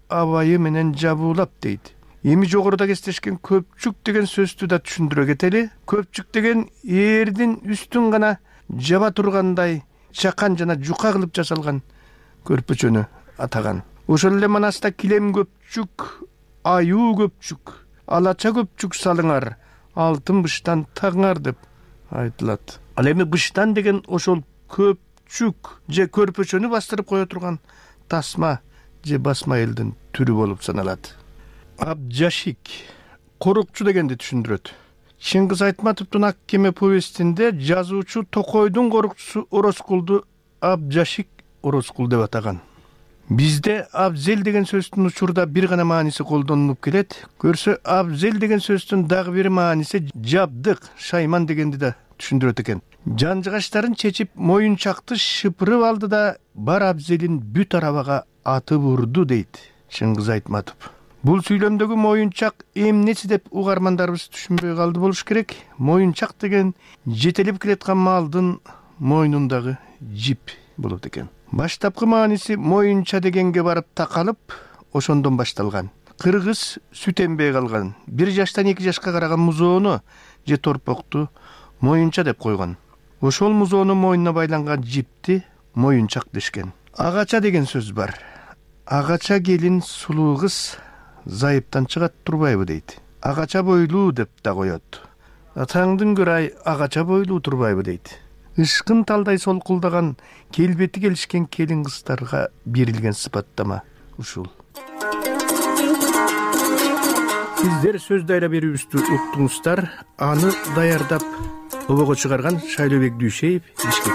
абайы менен жабуулап дейт. Эми жогоруда кестешкен көпчүк деген сөздү да түшүндүрө кетели. Көпчүк деген эрдин үстүн гана жаба тургандай чакан жана жука кылып жасалган көрпөчөнү атаган. Ошол эле Манаста килем көпчүк, аюу көпчүк, алача көпчүк салыңар, алтын быштан таңар деп айтылат. Ал эми быштан деген ошол көпчүк же көрпөчөнү бастырып кое турган тасма же басма элдин түрү болуп саналат. Абжашик, корукчу дегенди түшүндүрөт. Чыңгыз Айтматовдун Ак кеме повестинде жазуучу Токойдун корукчусу Ороскулду Абжашик Ороскул деп атаган. Бизде абзел деген сөздүн учурда бир гана мааниси колдонулуп келет. Көрсө, абзел деген сөздүн дагы бир мааниси жабдык, шайман дегенди да түшүндүрөт экен. Жанжыгаштарын чечип, моюнчакты шыпырып алды да бар абзелин бүт арабага атып урду дейт Чыңгыз Айтматов. Бул сүйлөмдөгү моюнчак эмнеси деп угармандарыбыз түшүнбөй калды болуш керек. Моюнчак деген жетелеп келаткан малдын мойнундагы жип болот экен. Баштапкы мааниси моюнча дегенге барып такалып, ошондон башталган. Кыргыз сүт эмбей калган, бир жаштан эки жашка караган музоону же торпокту моюнча деп койгон. Ошол музоонун мойнуна байланган жипти моюнчак дешкен. Агача деген сөз бар. Агача келин сулуу кыз зайыптан чыгат турбайбы дейт. Агача бойлуу деп да коет. Атаңдын көрай агача бойлуу турбайбы дейт. Ишкын талдай солкулдаган, келбети келишкен келин кыздарга берилген сыпаттама ушул. Сиздер сөз дайра берүүбүздү уктуңуздар. Аны даярдап обого чыгарган Шайлообек Дүйшеев, Бишкек.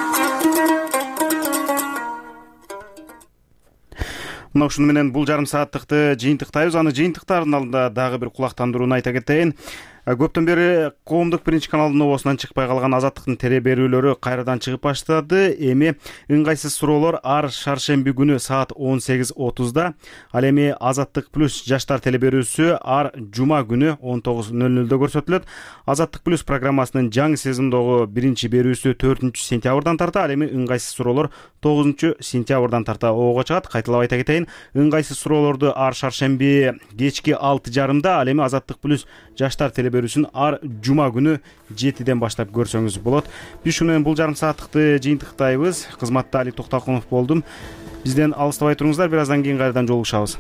Мына ушуну менен бул жарым сааттыкты жыйынтыктайбыз. Аны жыйынтыктардын алдында дагы бир кулактандырууну айта кетейин. Көптөн бери коомдук биринчи каналдын обосунан чыкпай калган Азаттыктын теле берүүлөрү кайрадан чыгып баштады. Эми ыңгайсыз суроолор ар шаршемби күнү саат он сегиз отузда, ал эми Азаттык плюс жаштар теле берүүсү ар жума күнү он тогуз ноль нолдо көрсөтүлөт. Азаттык плюс программасынын жаңы сезондогу биринчи берүүсү төртүнчү сентябрдан тарта, ал эми ыңгайсыз суроолор тогузунчу сентябрдан тарта ого чыгат. Кайталап айта кетейин, ыңгайсыз суроолорду ар шаршемби кечки алты жарымда, ал эми Азаттык плюс жаштар теле берүүсүн ар жума күнү жетиден баштап көрсөңүз болот. Биз ушу менен бул жарым сааттыкты жыйынтыктайбыз. Кызматта Али Токтокунов болдум. Бизден алыстабай туруңуздар, бир аздан кийин кайрадан жолугушабыз.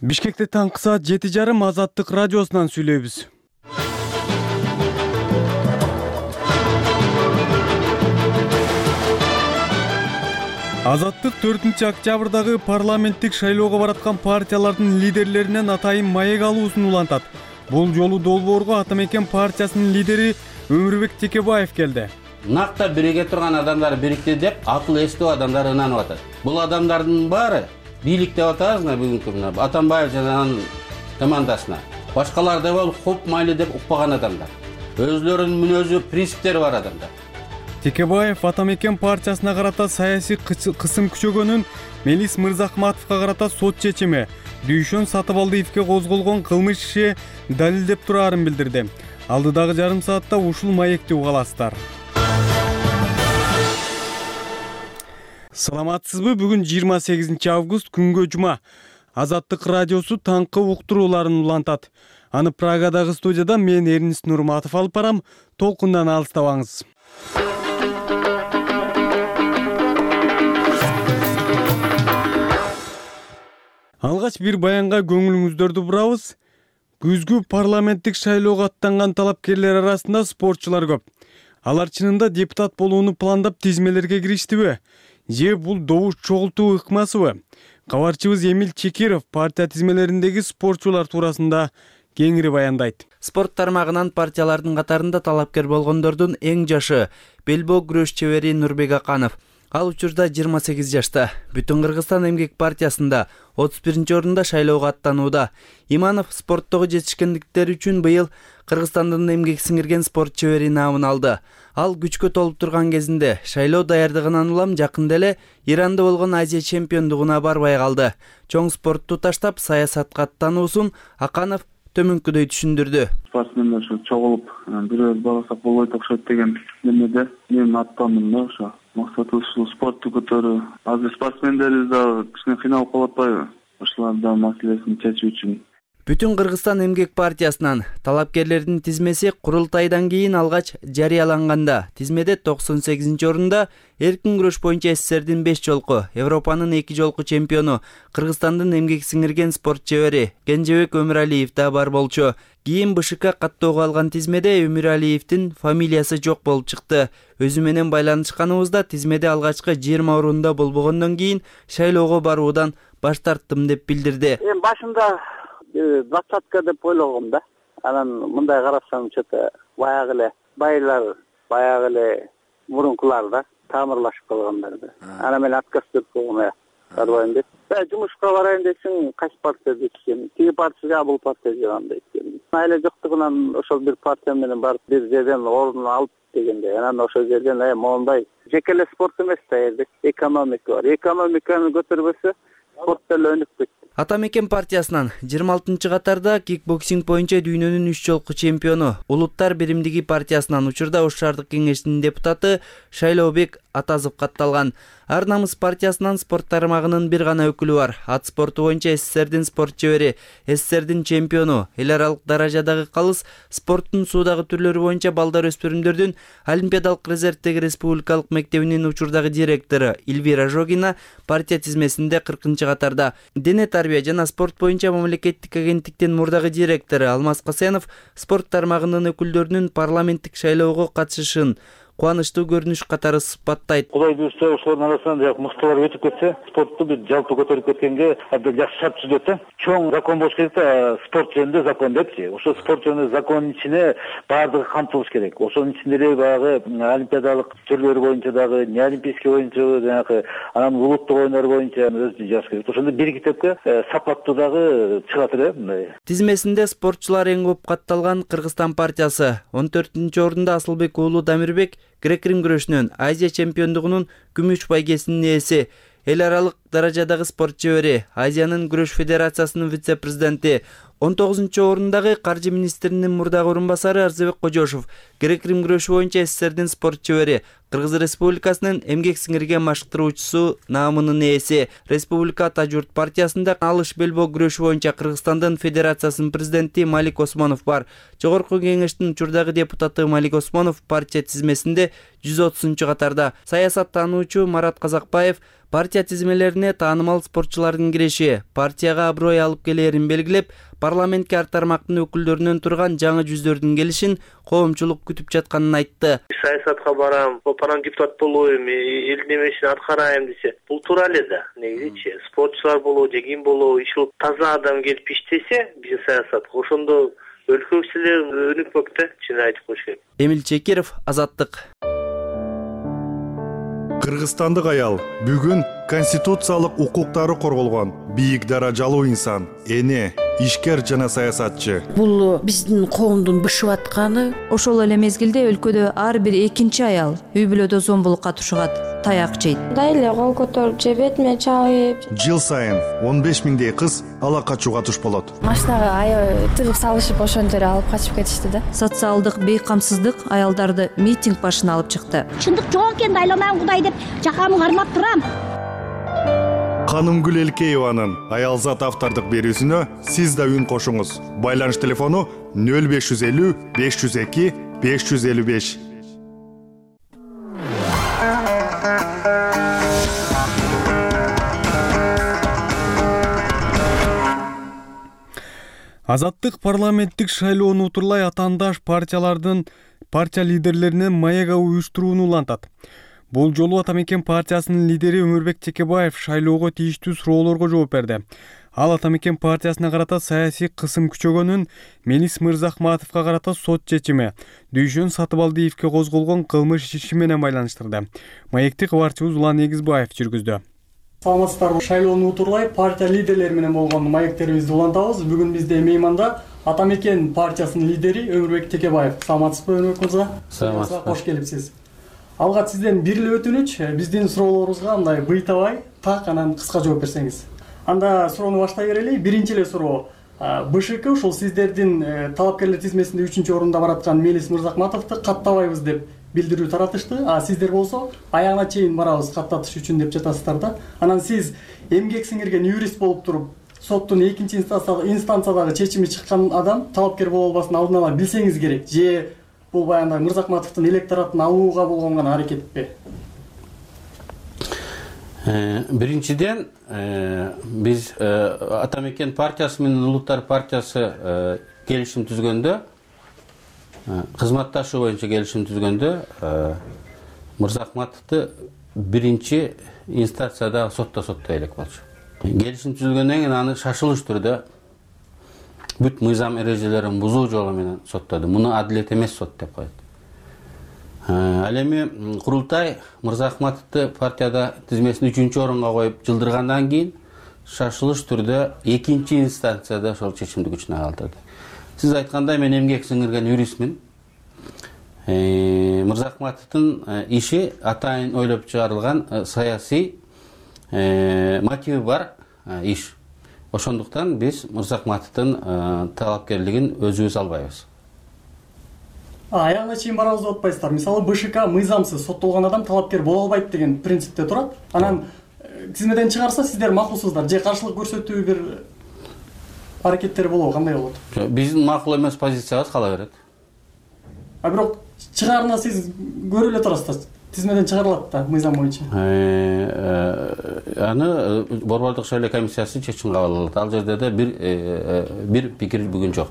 Бишкекте таңкы саат жети жарым Азаттык радиосунан сүйлөйбүз. Азаттык төртүнчү октябрдагы парламенттик шайлоого бараткан партиялардын лидерлеринен атайын маек алуусун улантат. Бул жолу долбоорго Ата Мекен партиясынын лидери Өмүрбек Текебаев келди. Накта бириге турган адамдар бирикти деп акыл эстүү адамдар ынанып атат. Бул адамдардын баары бийлик деп атабызбы бүгүнкү күндө Атамбаев жана анын командасына. Башкалар да бол хоп майли деп укпаган адамдар. Өзлөрүнүн мүнөзү, принциптери бар адамдар. Текебаев Ата Мекен партиясына карата саясий кысым күчөгөнүн, Мелис Мырзахматовго карата сот чечими, Дүйшөн Сатыбалдиевге козголгон кылмыш иши далилдеп турарын билдирди. Алдыдагы жарым саатта ушул маекти угаласыздар. Саламатсызбы? Бүгүн жыйырма сегизинчи август күнгө жума. Азаттык радиосу таңкы уктурууларын улантат. Аны Прагадагы студияда мен Эрнис Нурматов алып барам. Толкундан алыстабаңыз. Алгач бир баянга көңүлүңүздөрдү бурабыз. Күзгү парламенттик шайлоого аттанган талапкерлер арасында спортчулар көп. Алар чынында депутат болууну пландап тизмелерге кириштиби? Же бул добуш чогултуу ыкмасыбы? Кабарчыбыз Эмил Чекиров партия тизмелериндеги спортчулар туурасында кеңири баяндайт. Спорт тармагынан партиялардын катарында талапкер болгондордун эң жашы белбоо күрөш чебери Нурбек Аканов. Ал учурда жыйырма сегиз жашта. Бүтүн Кыргызстан эмгек партиясында отуз биринчи орунда шайлоого аттанууда. Иманов спорттогу жетишкендиктери үчүн быйыл Кыргызстандын эмгек сиңирген спорт чебери наамын алды. Ал күчкө толуп турган кезинде шайлоо даярдыгынан улам жакында эле Иранда болгон Азия чемпиондугуна барбай калды. Чоң спортту таштап саясатка аттануусун Аканов төмөнкүдөй түшүндүрдү. Спортсмендер ошо чогулуп бирөөбүз барсак болбойт окшойт деген немеде мен аттандым да. Ошо максатыбыз ушул спортту көтөрүү. Азыр спортсмендерибиз дагы кичине кыйналып калып атпайбы? Ошолардын маселесин чечүү үчүн. Бүтүн Кыргызстан эмгек партиясынан талапкерлердин тизмеси курултайдан кийин алгач жарыяланганда тизмеде токсон сегизинчи орунда эркин күрөш боюнча СССРдин беш жолку, Европанын эки жолку чемпиону, Кыргызстандын эмгек сиңирген спорт чебери Кенжебек Өмүралиев да бар болчу. Кийин БШК каттоого алган тизмеде Өмүралиевдин фамилиясы жок болуп чыкты. Өзү менен байланышканыбызда тизмеде алгачкы жыйырма орунда болбогондон кийин шайлоого баруудан баш тарттым деп билдирди. Эми башында двадцатка деп ойлогом да. Анан мындай карасам, что-то баягы эле байлар, баягы эле мурункулар да тамырлашып калгандар да. Анан мен отказ берип койгом, барбайм деп. Жумушка барайын десең, кайсы партия дейсиң? Тиги партия, бул партия дегендей. Айла жоктугунан ошол бир партия менен барып бир жерден орун алып дегенде, анан ошол жерден э моундай жеке эле спорт эмес да, эле экономика бар. Экономиканы көтөрбөсө спорт деле өнүп кетти. Ата Мекен партиясынан жыйырма алтынчы катарда кикбоксинг боюнча дүйнөнүн үч жолку чемпиону, Улуттар биримдиги партиясынан учурда Ош шаардык кеңешинин депутаты Шайлообек Атазов катталган. Ар намыс партиясынан спорт тармагынын бир гана өкүлү бар. Ат спорту боюнча СССРдин спорт чебери, СССРдин чемпиону, эл аралык даражадагы калыс спорттун суудагы түрлөрү боюнча балдар өспүрүмдөрдүн Олимпиадалык резервдеги республикалык мектебинин учурдагы директору Эльвира Жогина партия тизмесинде кыркынчы катарда. Дене тарбия жана спорт боюнча мамлекеттик агенттиктин мурдагы директору Алмаз Касенов спорт тармагынын өкүлдөрүнүн парламенттик шайлоого катышышын кубанычтуу көрүнүш катары сыпаттайт. Кудай буюрса ошолордун арасынан жак мыктылар өтүп кетсе, спортту бир жалпы көтөрүп кеткенге абдан жакшы шарт түзүлөт да. Чоң закон болуш керек да, спорт жөнүндө закон депчи. Ошо спорт жөнүндө закондун ичине баардыгы камтылыш керек. Ошонун ичинде эле баягы олимпиадалык түрлөр боюнча дагы, не олимпийский боюнча жанагы анан улуттук оюндар боюнча өзү жазыш керек. Ошондо бир китепке сапаттуу дагы чыгат эле мындай. Тизмесинде спортчулар эң көп катталган Кыргызстан партиясы. он төртүнчү орунда Асылбек уулу Дамирбек грек-рим күрөшүнөн Азия чемпиондугунун күмүш байгесинин ээси. Эл аралык даражадагы спорт чебери, Азиянын күрөш федерациясынын вице-президенти. он тогузунчу орундагы каржы министринин мурдагы орун басары Арзыбек Кожошов грек-рим күрөшү боюнча СССРдин спорт чебери, Кыргыз Республикасынын эмгек сиңирген машыктыруучусу наамынын ээси. Республика Ата журт партиясында алыш белбоо күрөшү боюнча Кыргызстандын федерациясынын президенти Малик Осмонов бар. Жогорку кеңештин учурдагы депутаты Малик Осмонов партия тизмесинде жүз отузунчу катарда. Саясаттануучу Марат Казакбаев партия тизмелерине таанымал спортчулардын киреши партияга аброй алып келерин белгилеп, парламентке ар тармактын өкүлдөрүнөн турган жаңы жүздөрдүн келишин коомчулук күтүп жатканын айтты. Саясатка барам, панан депутат болоюм, элдин эмесин аткарайм десе, бул туура эле да. Негизичи спортчулар болобу, же ким болобу, ишул таза адам келип иштесе, биз саясатка ошондо өлкө ишleri өнүкмөк да, чын айтып коюш керек. Эмил Чекиров, Азаттык. Кыргызстандык аял бүгүн конституциялык укуктары корголгон бийик даражалуу инсан, эне, ишкер жана саясатчы. Бул биздин коомдун бышып атканы. Ошол эле мезгилде өлкөдө ар бир экинчи аял үй бүлөдө зомбулукка тушугат, таяк жейт. Мындай эле кол көтөрүп же бетиме чабып. Жыл сайын он беш миңдей кыз ала качууга туш болот. Машинага аябай тыгып салышып ошондо эле алып качып кетишти да. Социалдык бейкамсыздык аялдарды митинг башына алып чыкты. Чындык жок экенин айланайын Кудай деп жакамы кармап турам. Канымгүл Элкееванын Аялзат автордук берүүсүнө сиз да үн кошуңуз. Байланыш телефону нөл беш жүз элүү беш жүз эки беш жүз элүү беш. Азаттык парламенттик шайлоону утурлай атаандаш партиялардын партия лидерлеринен маяга уюштурууну улантат. Бул жолу Атамекен партиясынын лидери Өмүрбек Текебаев шайлоого тийиштүү суроолорго жооп берди. Ал Атамекен партиясына карата саясий кысым күчөгөнүн, Мелис Мырзахматовго карата сот чечими, Дүйшөн Сатыбалдиевге козголгон кылмыш иши менен байланыштырды. Маекти кабарчыбыз Улан Эгизбаев жүргүздү. Саламатсыздарбы, шайлоону утурлай партия лидерлери менен болгон маектерибизди улантабыз. Бүгүн бизде мейманда Атамекен партиясынын лидери Өмүрбек Текебаев. Саламатсызбы, Өмүрбек мырза? Саламатсызбы. Кош келипсиз. Алга сизден бир эле өтүнүч, биздин суроолорубузга мындай быйтабай, так анан кыска жооп берсеңиз. Анда суроону баштай берели. Биринчи эле суроо. БШК ушул сиздердин талапкерлер тизмесинде үчүнчү орунда бараткан Мелис Мырзахматовду каттабайбыз деп билдирүү таратышты. А сиздер болсо аягына чейин барабыз каттатыш үчүн деп жатасыздар да. Анан сиз эмгек сиңирген юрист болуп туруп, соттун экинчи инстанциядагы чечими чыккан адам талапкер боло албасын алдын ала билсеңиз керек. Же бул баягындай Мырзахматовдун электоратын алууга болгон гана аракетпи? Биринчиден, биз Атамекен партиясы менен Улуттар партиясы келишим түзгөндө, кызматташуу боюнча келишим түзгөндө Мырзахматовду биринчи инстанцияда сотто соттой элек болчу. Келишим түзүлгөндөн кийин аны шашылыш түрдө бүт мыйзам эрежелерин бузуу жолу менен соттоду. Муну адилет эмес сот деп коет. Ал эми курултай Мырзахматовду партияда тизмесин үчүнчү орунга коюп жылдыргандан кийин шашылыш түрдө экинчи инстанцияда ошол чечимди күчүнө калтырды. Сиз айткандай, мен эмгек сиңирген юристмин. Мырзахматовдун иши атайын ойлоп чыгарылган саясий мотиви бар иш. Ошондуктан биз Мырзахматовдун талапкерлигин өзүбүз албайбыз. Аягына чейин барабыз деп атпайсыздар. Мисалы БШК мыйзамсыз соттолгон адам талапкер боло албайт деген принципте турат. Анан тизмеден чыгарса сиздер макулсуздар же каршылык көрсөтүү бир аракеттер болобу, кандай болот? Биздин макул эмес позициябыз кала берет. А бирок чыгаарына сиз көрүп эле турасыздар. Тизмеден чыгарылат да мыйзам боюнча. Аны борбордук шайлоо комиссиясы чечим кабыл алат. Ал жерде да бир бир пикир бүгүн жок.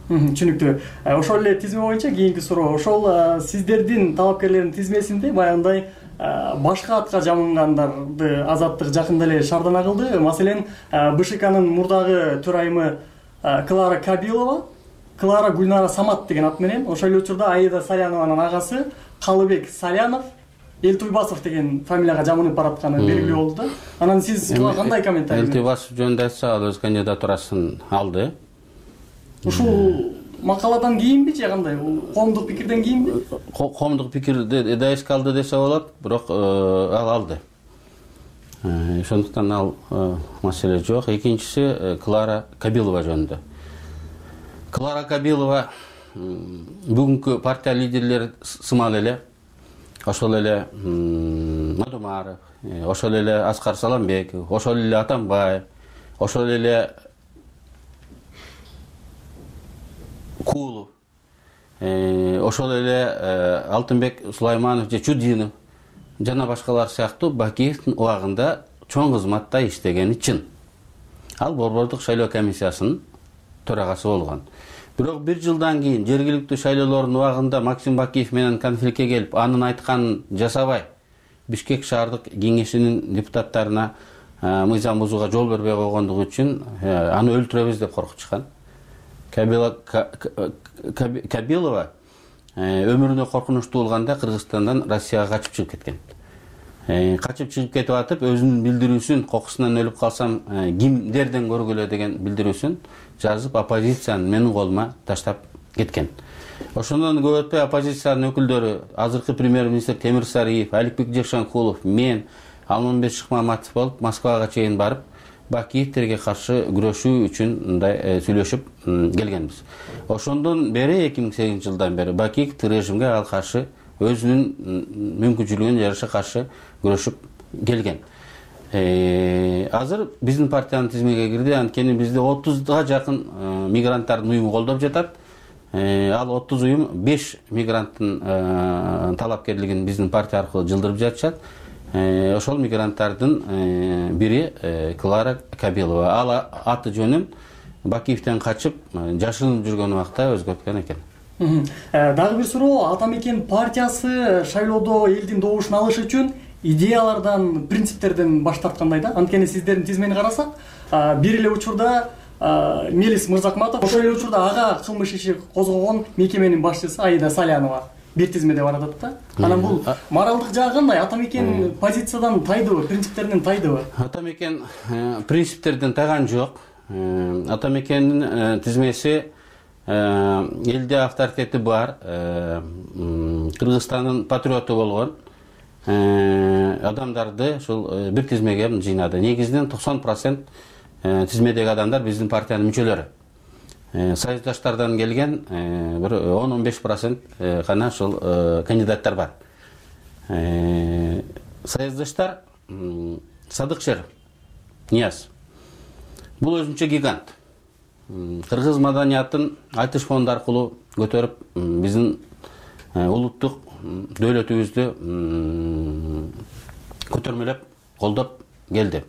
Түшүнүктүү. Ошол эле тизме боюнча кийинки суроо. Ошол сиздердин талапкерлердин тизмесинде баягындай башка атка жамынгандарды азаттык жакында эле шаардана кылды. Маселен, БШКнын мурдагы төрайымы Клара Кабилова, Клара Гүлнара Самат деген ат менен, ошол эле учурда Аида Салянованын агасы Калыбек Салянов Элтуйбасов деген фамилияга жамынып баратканы белгилүү болду да. Анан сиз кандай комментарий? Элтуйбасов жөнүндө айтсак, ал өз кандидатурасын алды. Ушул макаладан кийинби же кандай? Коомдук пикирден кийинби? Коомдук пикирди да эске алды десе болот, бирок ал алды. Ошондуктан ал маселе жок. Экинчиси Клара Кабилова жөнүндө. Клара Кабилова бүгүнкү партия лидерлери сымал эле, ошол эле Мадумаров, ошол эле Аскар Саламбеков, ошол эле Атамбаев, ошол эле Кулов, ошол эле Алтынбек Сулайманов же Чудинов жана башкалар сыяктуу Бакиевдин убагында чоң кызматта иштегени чын. Ал Борбордук шайлоо комиссиясынын төрагасы болгон. Бирок бир жылдан кийин жергиликтүү шайлоолордун убагында Максим Бакиев менен конфликтке келип, анын айтканын жасабай, Бишкек шаардык кеңешинин депутаттарына мыйзам бузууга жол бербей койгондугу үчүн аны өлтүрөбүз деп коркутушкан. Кабилова өмүрүнө коркунучтуу болганда Кыргызстандан Россияга качып чыгып кеткен. Качып чыгып кетип атып, өзүнүн билдирүүсүн, кокусунан өлүп калсам кимдерден көргүлө деген билдирүүсүн жазып, оппозициянын менин колума таштап кеткен. Ошондон көп өтпөй оппозициянын өкүлдөрү, азыркы премьер-министр Темир Сариев, Аликбек Жекшенкулов, мен, Алмамбет Шыкмаматов болуп Москвага чейин барып, Бакиевтерге каршы күрөшүү үчүн мындай сүйлөшүп келгенбиз. Ошондон бери эки миң сегизинчи жылдан бери Бакиев режимге ал каршы өзүнүн мүмкүнчүлүгүнө жараша каршы күрөшүп келген. Азыр биздин партиянын тизмеге кирди, анткени бизде отузга жакын мигранттардын уюму колдоп жатат. Ал отуз уюм беш мигранттын талапкерлигин биздин партия аркылуу жылдырып жатышат. Ошол мигранттардын бири Клара Кабилова. Ал аты жөнүн Бакиевден качып жашырынып жүргөн убакта өзгөрткөн экен. Дагы бир суроо, Ата Мекен партиясы шайлоодо элдин добушун алыш үчүн идеялардан, принциптерден баш тарткандай да. Анткени сиздердин тизмени карасак, бир эле учурда Мелис Мырзакматов, ошол эле учурда ага кылмыш иши козгогон мекеменин башчысы Аида Салянова бир тизмеде бар атат да. Анан бул моралдык жагы кандай? Ата Мекен позициядан тайдыбы, принциптеринен тайдыбы? Ата Мекен принциптерден тайган жок. Ата Мекендин тизмеси элде авторитети бар, Кыргызстандын патриоту болгон адамдарды ушул бир тизмеге жыйнады. Негизинен токсон процент тизмедеги адамдар биздин партиянын мүчөлөрү. Союздаштардан келген бир он он беш процент гана ушул кандидаттар бар. Союздаштар Садыкшер Нияз. Бул өзүнчө гигант. Кыргыз маданиятын айтыш фонду аркылуу көтөрүп, биздин улуттук дөөлөтүбүздү көтөрмөлөп, колдоп келди.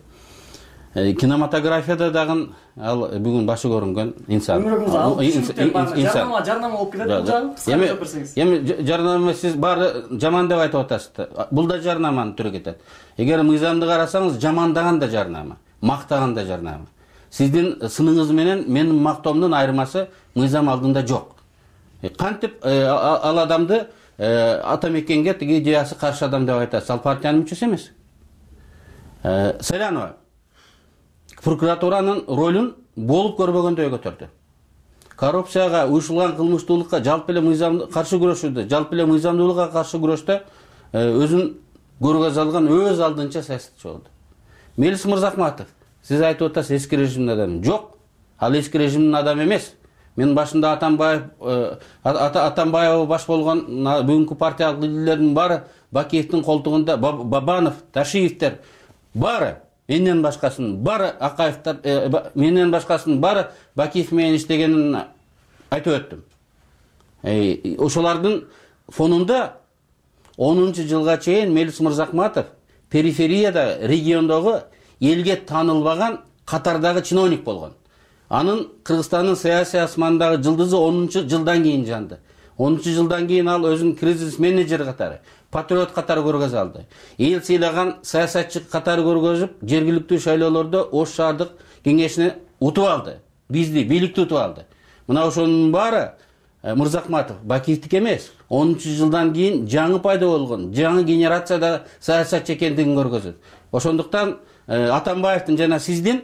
Кинематографияда дагы ал бүгүн башы көрүнгөн инсан. Жарнама, жарнама болуп кетет бул жагы. Кыскараак айтып берсеңиз. Эми жарнама сиз баары жаман деп айтып атасыз. Бул да жарнаманын түрү кетет. Эгер мыйзамды карасаңыз, жамандаган да жарнама, мактаган да жарнама. Сиздин сыныңыз менен менин мактоомдун айырмасы мыйзам алдында жок. Кантип ал адамды Ата Мекенге тиги идеясы каршы адам деп айтасыз? Ал партиянын мүчөсү эмес. Салянова прокуратуранын ролун болуп көрбөгөндөй көтөрдү. Коррупцияга, уюшулган кылмыштуулукка, жалпы эле мыйзамды каршы күрөшүүдө, жалпы эле мыйзамдуулукка каршы күрөштө өзүн көргөз алган өз алдынча саясатчы болду. Мелис Мырзакматов, сиз айтып атасыз эски режимдин адамы. Жок, ал эски режимдин адамы эмес. Мен башында Атамбаев, Атамбаев баш болгон бүгүнкү партиялык лидерлердин баары Бакиевдин колтугунда, Бабанов, Ташиевтер баары, менден башкасынын баары Акаевтер, менден башкасынын баары Бакиев менен иштегенин айтып өттүм. Ошолордун фонунда онунчу жылга чейин Мелис Мырзакматов периферияда, региондогу элге таанылбаган катардагы чиновник болгон. Анын Кыргызстандын саясий асманындагы жылдызы онунчу жылдан кийин жанды. онунчу жылдан кийин ал өзүн кризис менеджер катары, патриот катары көргөзө алды. Эл сыйлаган саясатчы катары көргөзүп, жергиликтүү шайлоолордо Ош шаардык кеңешине утуп алды. Бизди бийликти утуп алды. Мына ошонун баары Мырзакматов Бакиевдики эмес. онунчу жылдан кийин жаңы пайда болгон, жаңы генерацияда саясатчы экендигин көргөзөт. Ошондуктан Атамбаевдин жана сиздин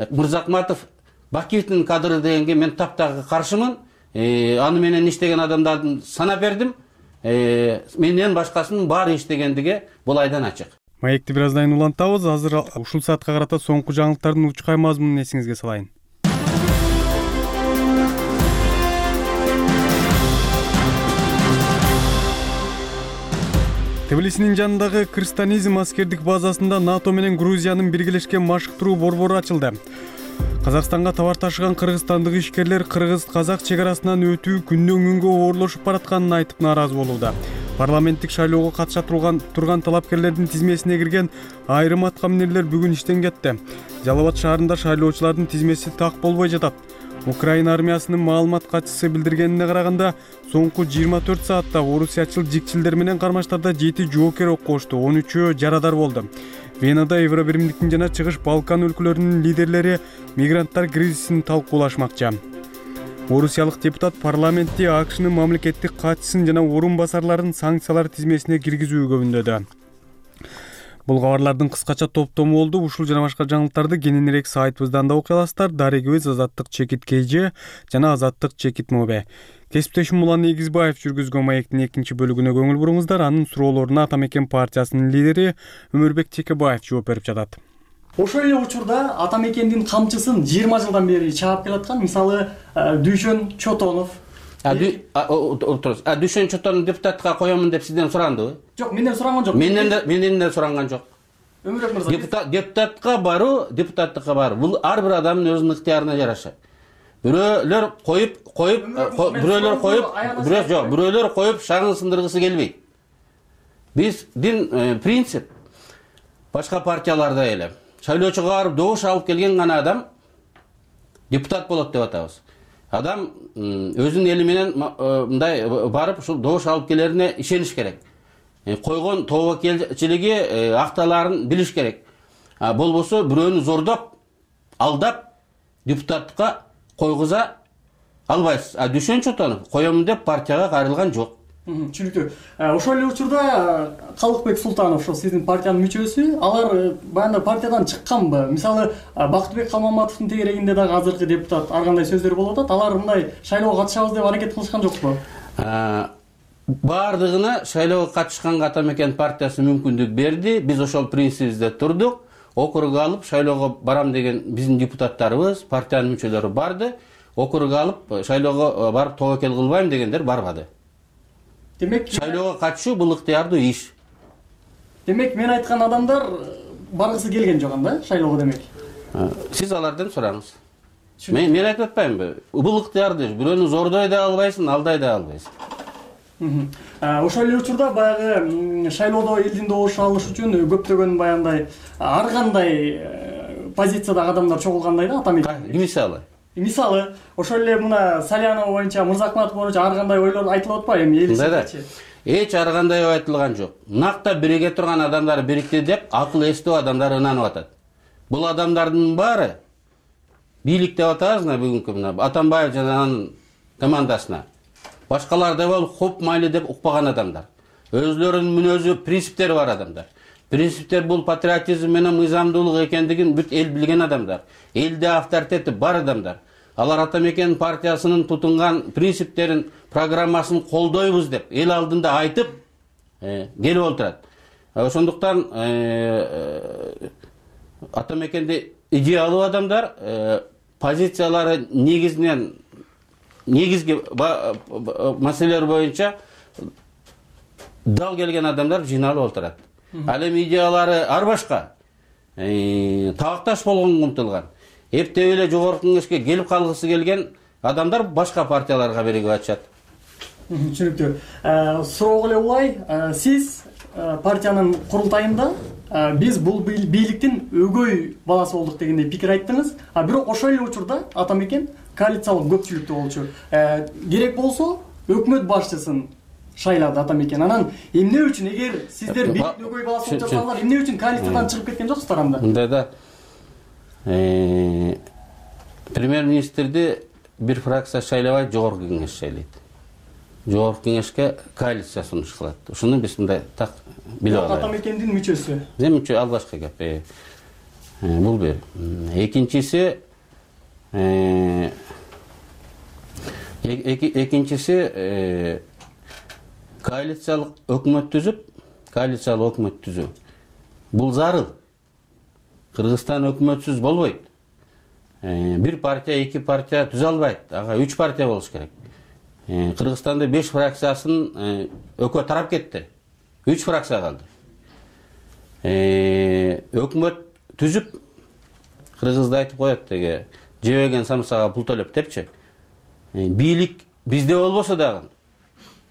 Мырзакматов Бакиевдин кадры дегенге мен таптагы каршымын. Аны менен иштеген адамдардын санап бердим. Менден башкасынын баары иштегендиги бул айдан ачык. Маекти бир аздан кийин улантабыз. Азыр ушул саатка карата соңку жаңылыктардын учкай мазмунун эсиңизге салайын. Тбилисинин жанындагы Кыргызстанизм аскердик базасында НАТО менен Грузиянын биргелешкен машыктыруу борбору ачылды. Казакстанга товар ташыган кыргызстандык ишкерлер кыргыз-казак чек арасынан өтүү күндөн күнгө оорлошуп баратканын айтып нааразы болууда. Парламенттик шайлоого катыша турган турган талапкерлердин тизмесине кирген айрым аткаминерлер бүгүн иштен кетти. Жалал Абад шаарында шайлоочулардын тизмеси так болбой жатат. Украина армиясынын маалымат катчысы билдиргенине караганда, соңку жыйырма төрт саатта орусиячыл жикчилдер менен кармаштарда жети жоокер оккошду, он үчөө жарадар болду. Венада Евробиримдиктин жана Чыгыш Балкан өлкөлөрүнүн лидерлери мигранттар кризисин талкуулашмакчы. Орусиялык депутат парламентти АКШнын мамлекеттик катчысын жана орун басарларын санкциялар тизмесине киргизүүгө үндөдү. Бул кабарлардын кыскача топтому болду. Ушул жана башка жаңылыктарды кененирээк сайтыбыздан да окуй аласыздар. Дарегибиз Азаттык Чекит КЖ жана Азаттык Чекит МОБ. Кесиптешим Улан Эгизбаев жүргүзгөн маектин экинчи бөлүгүнө көңүл буруңуздар. Анын суроолоруна Атамекен партиясынын лидери Өмүрбек Чекебаев жооп берип жатат. Ошол эле учурда Атамекендин камчысын жыйырма жылдан бери чаап келаткан, мисалы, Дүйшөн Чотонов. А Дүйшөн Чотонов депутатка коёмун деп сизден сурандыбы? Жок, менден суранган жок. Менден да менден да суранган жок. Өмүрбек мырза. Депутат депутатка баруу, депутаттыкка баруу. Бул ар бир адамдын өзүнүн ыктыярына жараша. Бирөөлөр коюп, коюп, бирөөлөр коюп, бирөө жок, бирөөлөр коюп шагын сындыргысы келбейт. Биздин принцип башка партияларда эле. Шайлоочуга барып добуш алып келген гана адам депутат болот деп атабыз. Адам өзүнүн эли менен мындай барып ушул добуш алып келерине ишениш керек. Койгон тобокелчилиги акталарын билиш керек. Болбосо бирөөнү зордоп, алдап депутатка койгуза албайсыз. А Дүйшөн Чотонов коёмун деп партияга кайрылган жок. Түшүнүктүү. Ошол эле учурда Калыкбек Султанов, ошо сиздин партиянын мүчөсү, алар баягы партиядан чыкканбы? Мисалы, Бактыбек Калмаматовдун тегерегинде дагы азыркы депутат ар кандай сөздөр болуп атат. Алар мындай шайлоого катышабыз деп аракет кылышкан жокпу? Бардыгына шайлоого катышканга Атамекен партиясы мүмкүндүк берди. Биз ошол принцибибизде турдук. Округга алып шайлоого барам деген биздин депутаттарыбыз, партиянын мүчөлөрү барды. Округга алып шайлоого барып тобокел кылбайм дегендер барбады. Демек, шайлоого катышуу бул ыктыярдуу иш. Демек, мен айткан адамдар баргысы келген жок анда шайлоого демек. Сиз алардан сураңыз. Мен мен айтып атпаймынбы? Бул ыктыярдуу иш. Бирөөнү зордой да албайсың, алдай да албайсың. Ошол эле учурда баягы шайлоодо элдин добуш алыш үчүн көптөгөн баягындай ар кандай позициядагы адамдар чогулгандай да Атамекен. Мисалы Мисалы, ошол эле мына Салянова боюнча, Мырзакматов боюнча ар кандай ойлор айтылып атпайбы эми элчи? Эч ар кандай айтылган жок. Накта бириге турган адамдар бирикти деп акыл эстүү адамдар ынанып атат. Бул адамдардын баары бийлик деп атабыз мына бүгүнкү мына Атамбаев жана анын командасына. Башкалар да бол хоп майли деп укпаган адамдар. Өзлөрүнүн мүнөзү, принциптери бар адамдар. Принциптер бул патриотизм менен мыйзамдуулук экендигин бүт эл билген адамдар. Элде авторитети бар адамдар. Алар Атамекен партиясынын тутунган принциптерин, программасын колдойбуз деп эл алдында айтып келип отурат. Ошондуктан Атамекенде идеалдуу адамдар, позициялары негизинен негизги маселелер боюнча дал келген адамдар жыйналып отурат. Ал эми идеялары ар башка, табакташ болгонго умтулган. Эптеп эле жогорку кеңешке келип калгысы келген адамдар башка партияларга биригип атышат. Түшүнүктүү. Суроого эле улай, сиз партиянын курултайында биз бул бийликтин өгөй баласы болдук дегендей пикир айттыңыз. А бирок ошол эле учурда Атамекен коалициялык көпчүлүктө болчу. Керек болсо өкмөт башчысын шайлады Атамекен. Анан эмне үчүн, эгер сиздер бийликтин өгөй баласы болуп жатсаңар, эмне үчүн коалициядан чыгып кеткен жоксуздар анда? Мындай да премьер-министрди бир фракция шайлабайт, жогорку кеңеш шайлайт. Жогорку кеңешке коалиция сунуш кылат. Ушуну биз мындай так билип алалы. Атамекендин мүчөсү. Мүчө албашкы кеп. Бул бир. Экинчиси экинчиси коалициялык өкмөт түзүп, коалициялык өкмөт түзүү. Бул зарыл. Кыргызстан өкмөтсүз болбойт. Бир партия, эки партия түзө албайт. Ага үч партия болуш керек. Кыргызстанда беш фракциясын экөө тарап кетти. үч фракция калды. Өкмөт түзүп, кыргызда айтып коет деге, жебеген самсага пул төлөп депчи. Бийлик бизде болбосо дагы,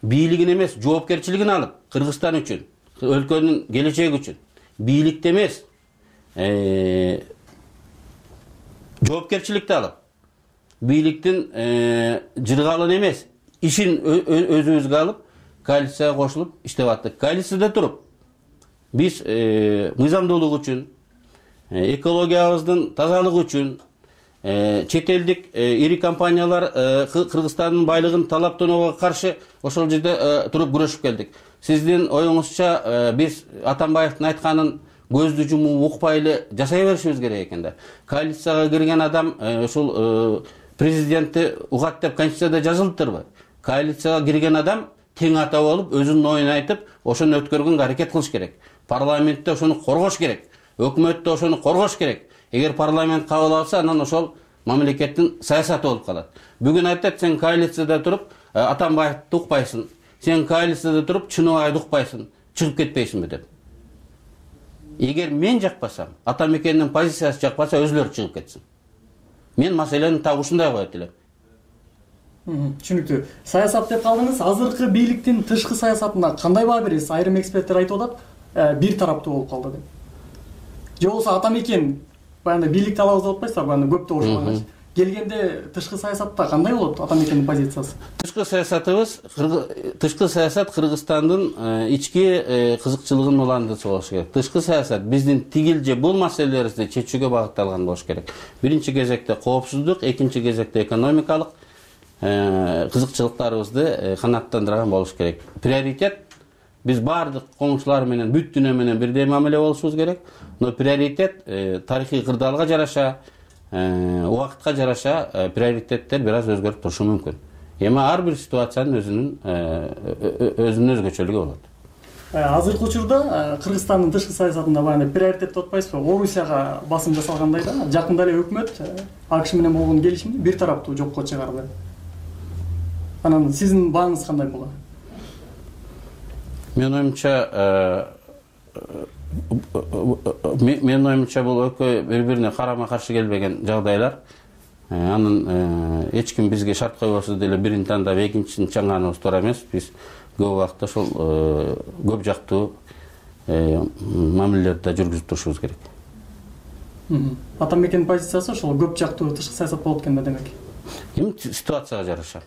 бийлигин эмес, жоопкерчилигин алып, Кыргызстан үчүн, өлкөнүн келечеги үчүн, бийликти эмес, жоопкерчиликти алып, бийликтин жыргалын эмес, ишин өзүбүзгө алып, коалицияга кошулуп иштеп аттык. Коалицияда туруп, биз мыйзамдуулук үчүн, экологиябыздын тазалыгы үчүн, чет элдик ири компаниялар Кыргызстандын байлыгын талаптоонуга каршы ошол жерде туруп күрөшүп келдик. Сиздин оюңузча биз Атамбаевдин айтканын көздү жумуп укпай эле жасай беришибиз керек экен да. Коалицияга кирген адам ушул президентти угат деп Конституцияда жазылыптырбы? Коалицияга кирген адам тең ата болуп, өзүнүн оюн айтып, ошону өткөргөнгө аракет кылыш керек. Парламентте ошону коргош керек. Өкмөттө ошону коргош керек. Эгер парламент кабыл алса, анан ошол мамлекеттин саясаты болуп калат. Бүгүн айтат, сен коалицияда туруп Атамбаевди укпайсың. Сен коалицияда туруп Чыныбайды укпайсың. Чыгып кетпейсиңби деп. Эгер мен жакпасам, Атамекендин позициясы жакпаса, өзүлөрү чыгып кетсин. Мен маселени так ушундай коет элем. Түшүнүктүү. Саясат деп калдыңыз. Азыркы бийликтин тышкы саясатына кандай баа бересиз? Айрым эксперттер айтып атат, бир тараптуу болуп калды деп. Же болбосо Атамекен баягы бийликти алабыз деп атпайсыздарбы? Баягы көптү ошонгоч. Келгенде тышкы саясатта кандай болот Атамекендин позициясы? Тышкы саясатыбыз, тышкы саясат Кыргызстандын ички кызыкчылыгын уландырышы болуш керек. Тышкы саясат биздин тигил же бул маселелерибизди чечүүгө багытталган болуш керек. Биринчи кезекте коопсуздук, экинчи кезекте экономикалык кызыкчылыктарыбызды канааттандырган болуш керек. Приоритет биз баардык коңшулар менен, бүт дүйнө менен бирдей мамиле болушубуз керек. Но приоритет тарыхый кырдаалга жараша, убакытка жараша приоритеттер бир аз өзгөрүп турушу мүмкүн. Эми ар бир ситуациянын өзүнүн өзүнүн өзгөчөлүгү болот. Азыркы учурда Кыргызстандын тышкы саясатында баягы приоритет деп атпайсызбы? Орусияга басым жасалгандай да, жакында эле өкмөт АКШ менен болгон келишимди бир тараптуу жокко чыгарды. Анан сиздин бааңыз кандай болот? Мен оюмча, мен оюмча бул экөө бири-бирине карама-каршы келбеген жагдайлар. Анын эч ким бизге шарт койбосо деле бирин тандап экинчисин чаңганыбыз туура эмес. Биз көп убакытта ошол көп жактуу мамилелерди жүргүзүп турушубуз керек. Атамекендин позициясы ошол көп жактуу тышкы саясат болот экен да демек. Эми ситуацияга жараша.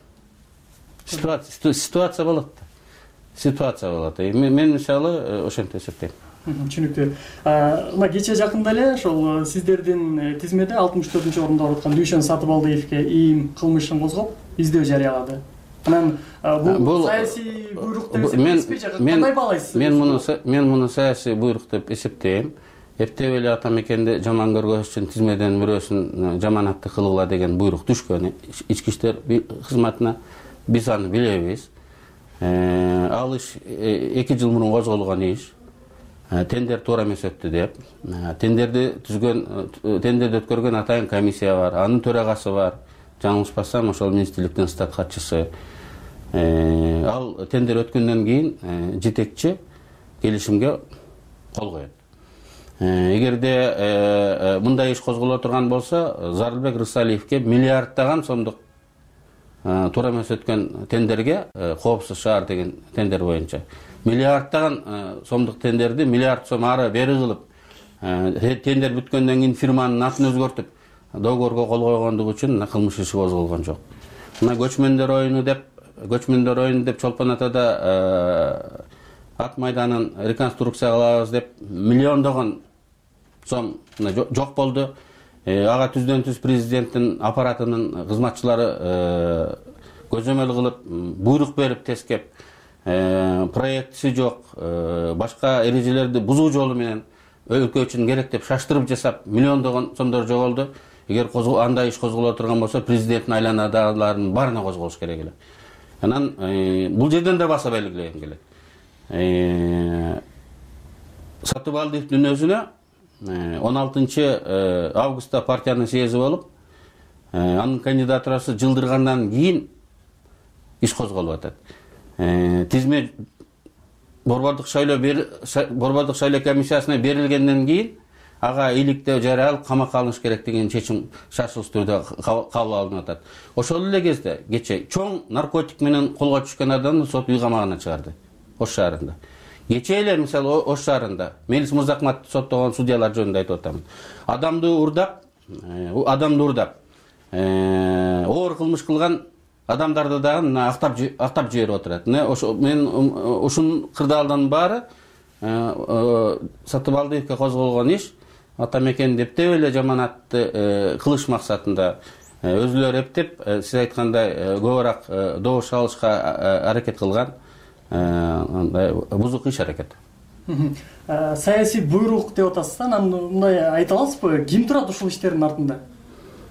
Ситуация болот да. Ситуация болот. Мен мисалы ошентип эсептейм. Түшүнүктүү. Мына кечээ жакында эле ошол сиздердин тизмеде алтымыш төртүнчү орунда отурган Дүйшөн Сатыбалдиевге ийим кылмышын козгоп, издөө жарыялады. Анан бул саясий буйрук деп эсептейсизби? Кандай баалайсыз? Мен муну мен муну саясий буйрук деп эсептейм. Эптеп эле Атамекенди жаман көргөзүш үчүн тизмеден бирөөсүн жаманатты кылгыла деген буйрук түшкөн. Ички иштер кызматына биз аны билебиз. Ал иш эки жыл мурун козголгон иш. Тендер туура эмес өттү деп. Тендерди түзгөн, тендерди өткөргөн атайын комиссия бар, анын төрагасы бар. Жаңылышпасам, ошол министрликтин стат катчысы. Ал тендер өткөндөн кийин жетекчи келишимге кол коет. Эгерде мындай иш козголо турган болсо, Зарылбек Рысалиевге миллиарддаган сомдук туура эмес өткөн тендерге, коопсуз шаар деген тендер боюнча миллиардтаган сомдук тендерди миллиард сом ары бери кылып, тендер бүткөндөн кийин фирманын атын өзгөртүп договорго кол койгондугу үчүн кылмыш иши козголгон жок. Мына көчмөндөр оюну деп, көчмөндөр оюну деп Чолпон Атада ат майданын реконструкция кылабыз деп миллиондогон сом жок болду. Ага түздөн түз президенттин аппаратынын кызматчылары көзөмөл кылып, буйрук берип тескеп, проектиси жок, башка эрежелерди бузуу жолу менен өлкө үчүн керек деп шаштырып жасап, миллиондогон сомдор жоголду. Эгер андай иш козголо турган болсо, президенттин айланадагылардын баарына козголуш керек эле. Анан бул жерден да баса белгилеген келет. Сатыбалдиевдин өзүнө он алтынчы августта партиянын съезди болуп, анын кандидатурасы жылдыргандан кийин иш козголуп атат. Тизме борбордук шайлоо борбордук шайлоо комиссиясына берилгенден кийин ага иликтөө жарыялып камакка алыныш керек деген чечим шашылыш түрдө кабыл алынып атат. Ошол эле кезде кече чоң наркотик менен колго түшкөн адамды сот үй камагына чыгарды Ош шаарында. Кече эле мисалы Ош шаарында Мелис Мырзахматовду соттогон судьялар жөнүндө айтып атам. Адамды урдап, адамды урдап, оор кылмыш кылган адамдарды дагы актап актап жиберип отурат. Мен ушун кырдаалдын баары Сатыбалдиевге козголгон иш атамекен дептеп эле жаманатты кылыш максатында өзүлөрү эптеп, сиз айткандай көбүрөөк добуш алышка аракет кылган бузук иш аракет. Саясий буйрук деп атасыз, анан мындай айта аласызбы, ким турат ушул иштердин артында?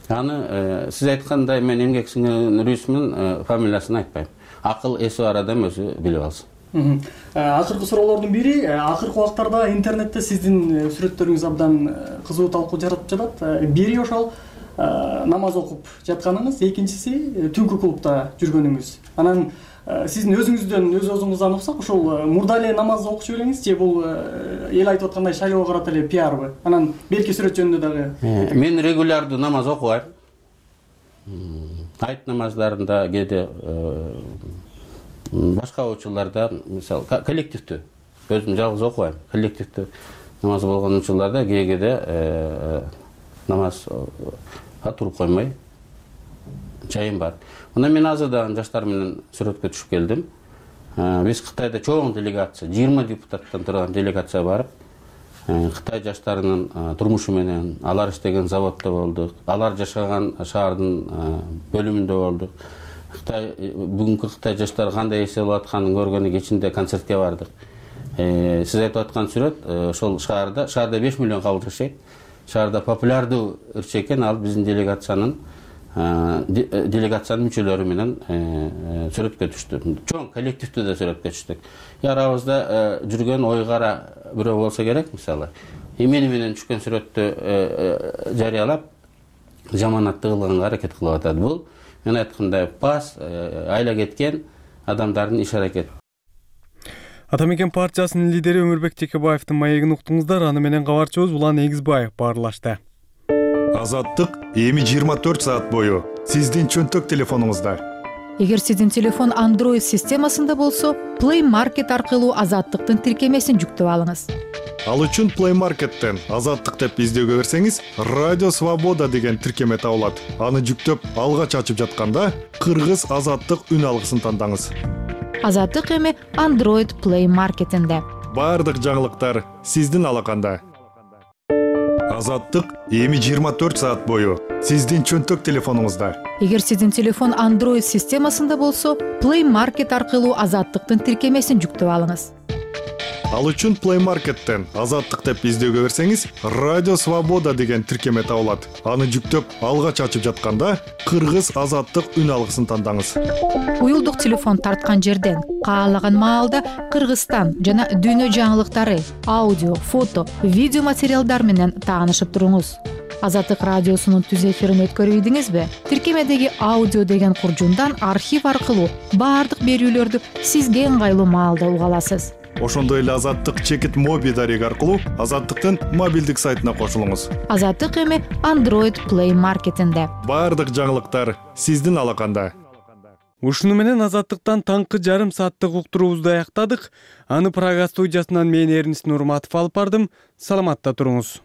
Аны сиз айткандай мен эмгек сиңирүүнүн рүсмүн, фамилиясын айтпайм. Акыл эси бар адам өзү билип алсын. Акыркы суроолордун бири, акыркы убактарда интернетте сиздин сүрөттөрүңүз абдан кызуу талкуу жаратып жатат. Бири ошол намаз окуп жатканыңыз, экинчиси түнкү клубда жүргөнүңүз. Анан сиздин өзүңүздөн, өз өзүңүздөн уксак, ошол мурда эле намаз окуп элеңиз же бул эл айтып аткандай шайлоого карата эле пиарбы? Анан берки сүрөт жөнүндө дагы. Мен регулярдуу намаз окубайм. Айт намаздарында кээде башка учурларда, мисалы, коллективдүү, өзүм жалгыз окубайм, коллективдүү намаз болгон учурларда кээде намазга туруп коймой жайым бар. Мына мен азырдан жаштар менен сүрөткө түшүп келдим. Биз Кытайда чоң делегация, жыйырма депутаттан турган делегация барып, Кытай жаштарынын турмушу менен, алар иштеген заводдо болдук, алар жашаган шаардын бөлүмүндө болдук. Кытай бүгүнкү Кытай жаштары кандай эс алып атканын көргөнү кечинде концертке бардык. Сиз айтып аткан сүрөт ошол шаарда, шаарда беш миллион кабыл жашайт. Шаарда популярдуу ырчы экен, ал биздин делегациянын делегациянын мүчөлөрү менен сүрөткө түштү. Чоң коллективдүү да сүрөткө түштүк. Арабызда жүргөн ойгара бирөө болсо керек, мисалы. Эмени менен түшкөн сүрөттү жарыялап, жаманатты кылганга аракет кылып атат. Бул мен айткандай пас айла кеткен адамдардын иш аракети. Атамекен партиясынын лидери Өмүрбек Текебаевдин маегин уктуңуздар. Аны менен кабарчыбыз Улан Эгизбаев баарлашты. Азаттык эми жыйырма төрт саат бою сиздин чөнтөк телефонуңузда. Эгер сиздин телефон Android системасында болсо, Play Market аркылуу Азаттыктын тиркемесин жүктөп алыңыз. Ал үчүн Play Market'тен Азаттык деп издөөгө берсеңиз, Радио Свобода деген тиркеме табылат. Аны жүктөп алгач ачып жатканда Кыргыз Азаттык үн алгысын тандаңыз. Азаттык эми Android Play Market'инде. Бардык жаңылыктар сиздин алаканда. Азаттык эми жыйырма төрт саат бою сиздин чөнтөк телефонуңузда. Эгер сиздин телефон Android системасында болсо, Play Market аркылуу Азаттыктын тиркемесин жүктөп алыңыз. Ал үчүн Play Market'тен Азаттык деп издөөгө берсеңиз, Радио Свобода деген тиркеме табылат. Аны жүктөп алгач ачып жатканда Кыргыз Азаттык үн алгысын тандаңыз. Уюлдук телефон тарткан жерден каалаган маалда Кыргызстан жана дүйнө жаңылыктары, аудио, фото, видео материалдар менен таанышып туруңуз. Азаттык радиосунун түз эфирин өткөрүбүдүңүзбү? Тиркемедеги аудио деген куржундан архив аркылуу баардык берүүлөрдү сизге ыңгайлуу маалда уга аласыз. Ошондой эле Азаттык чекит моби дареги аркылуу Азаттыктын мобилдик сайтына кошулуңуз. Азаттык эми Android Play Market'инде. Баардык жаңылыктар сиздин алаканда. Ушуну менен Азаттыктан таңкы жарым сааттык уктуруубузду аяктадык. Аны Прага студиясынан мен Эрнис Нурматов алып бардым. Саламатта туруңуз.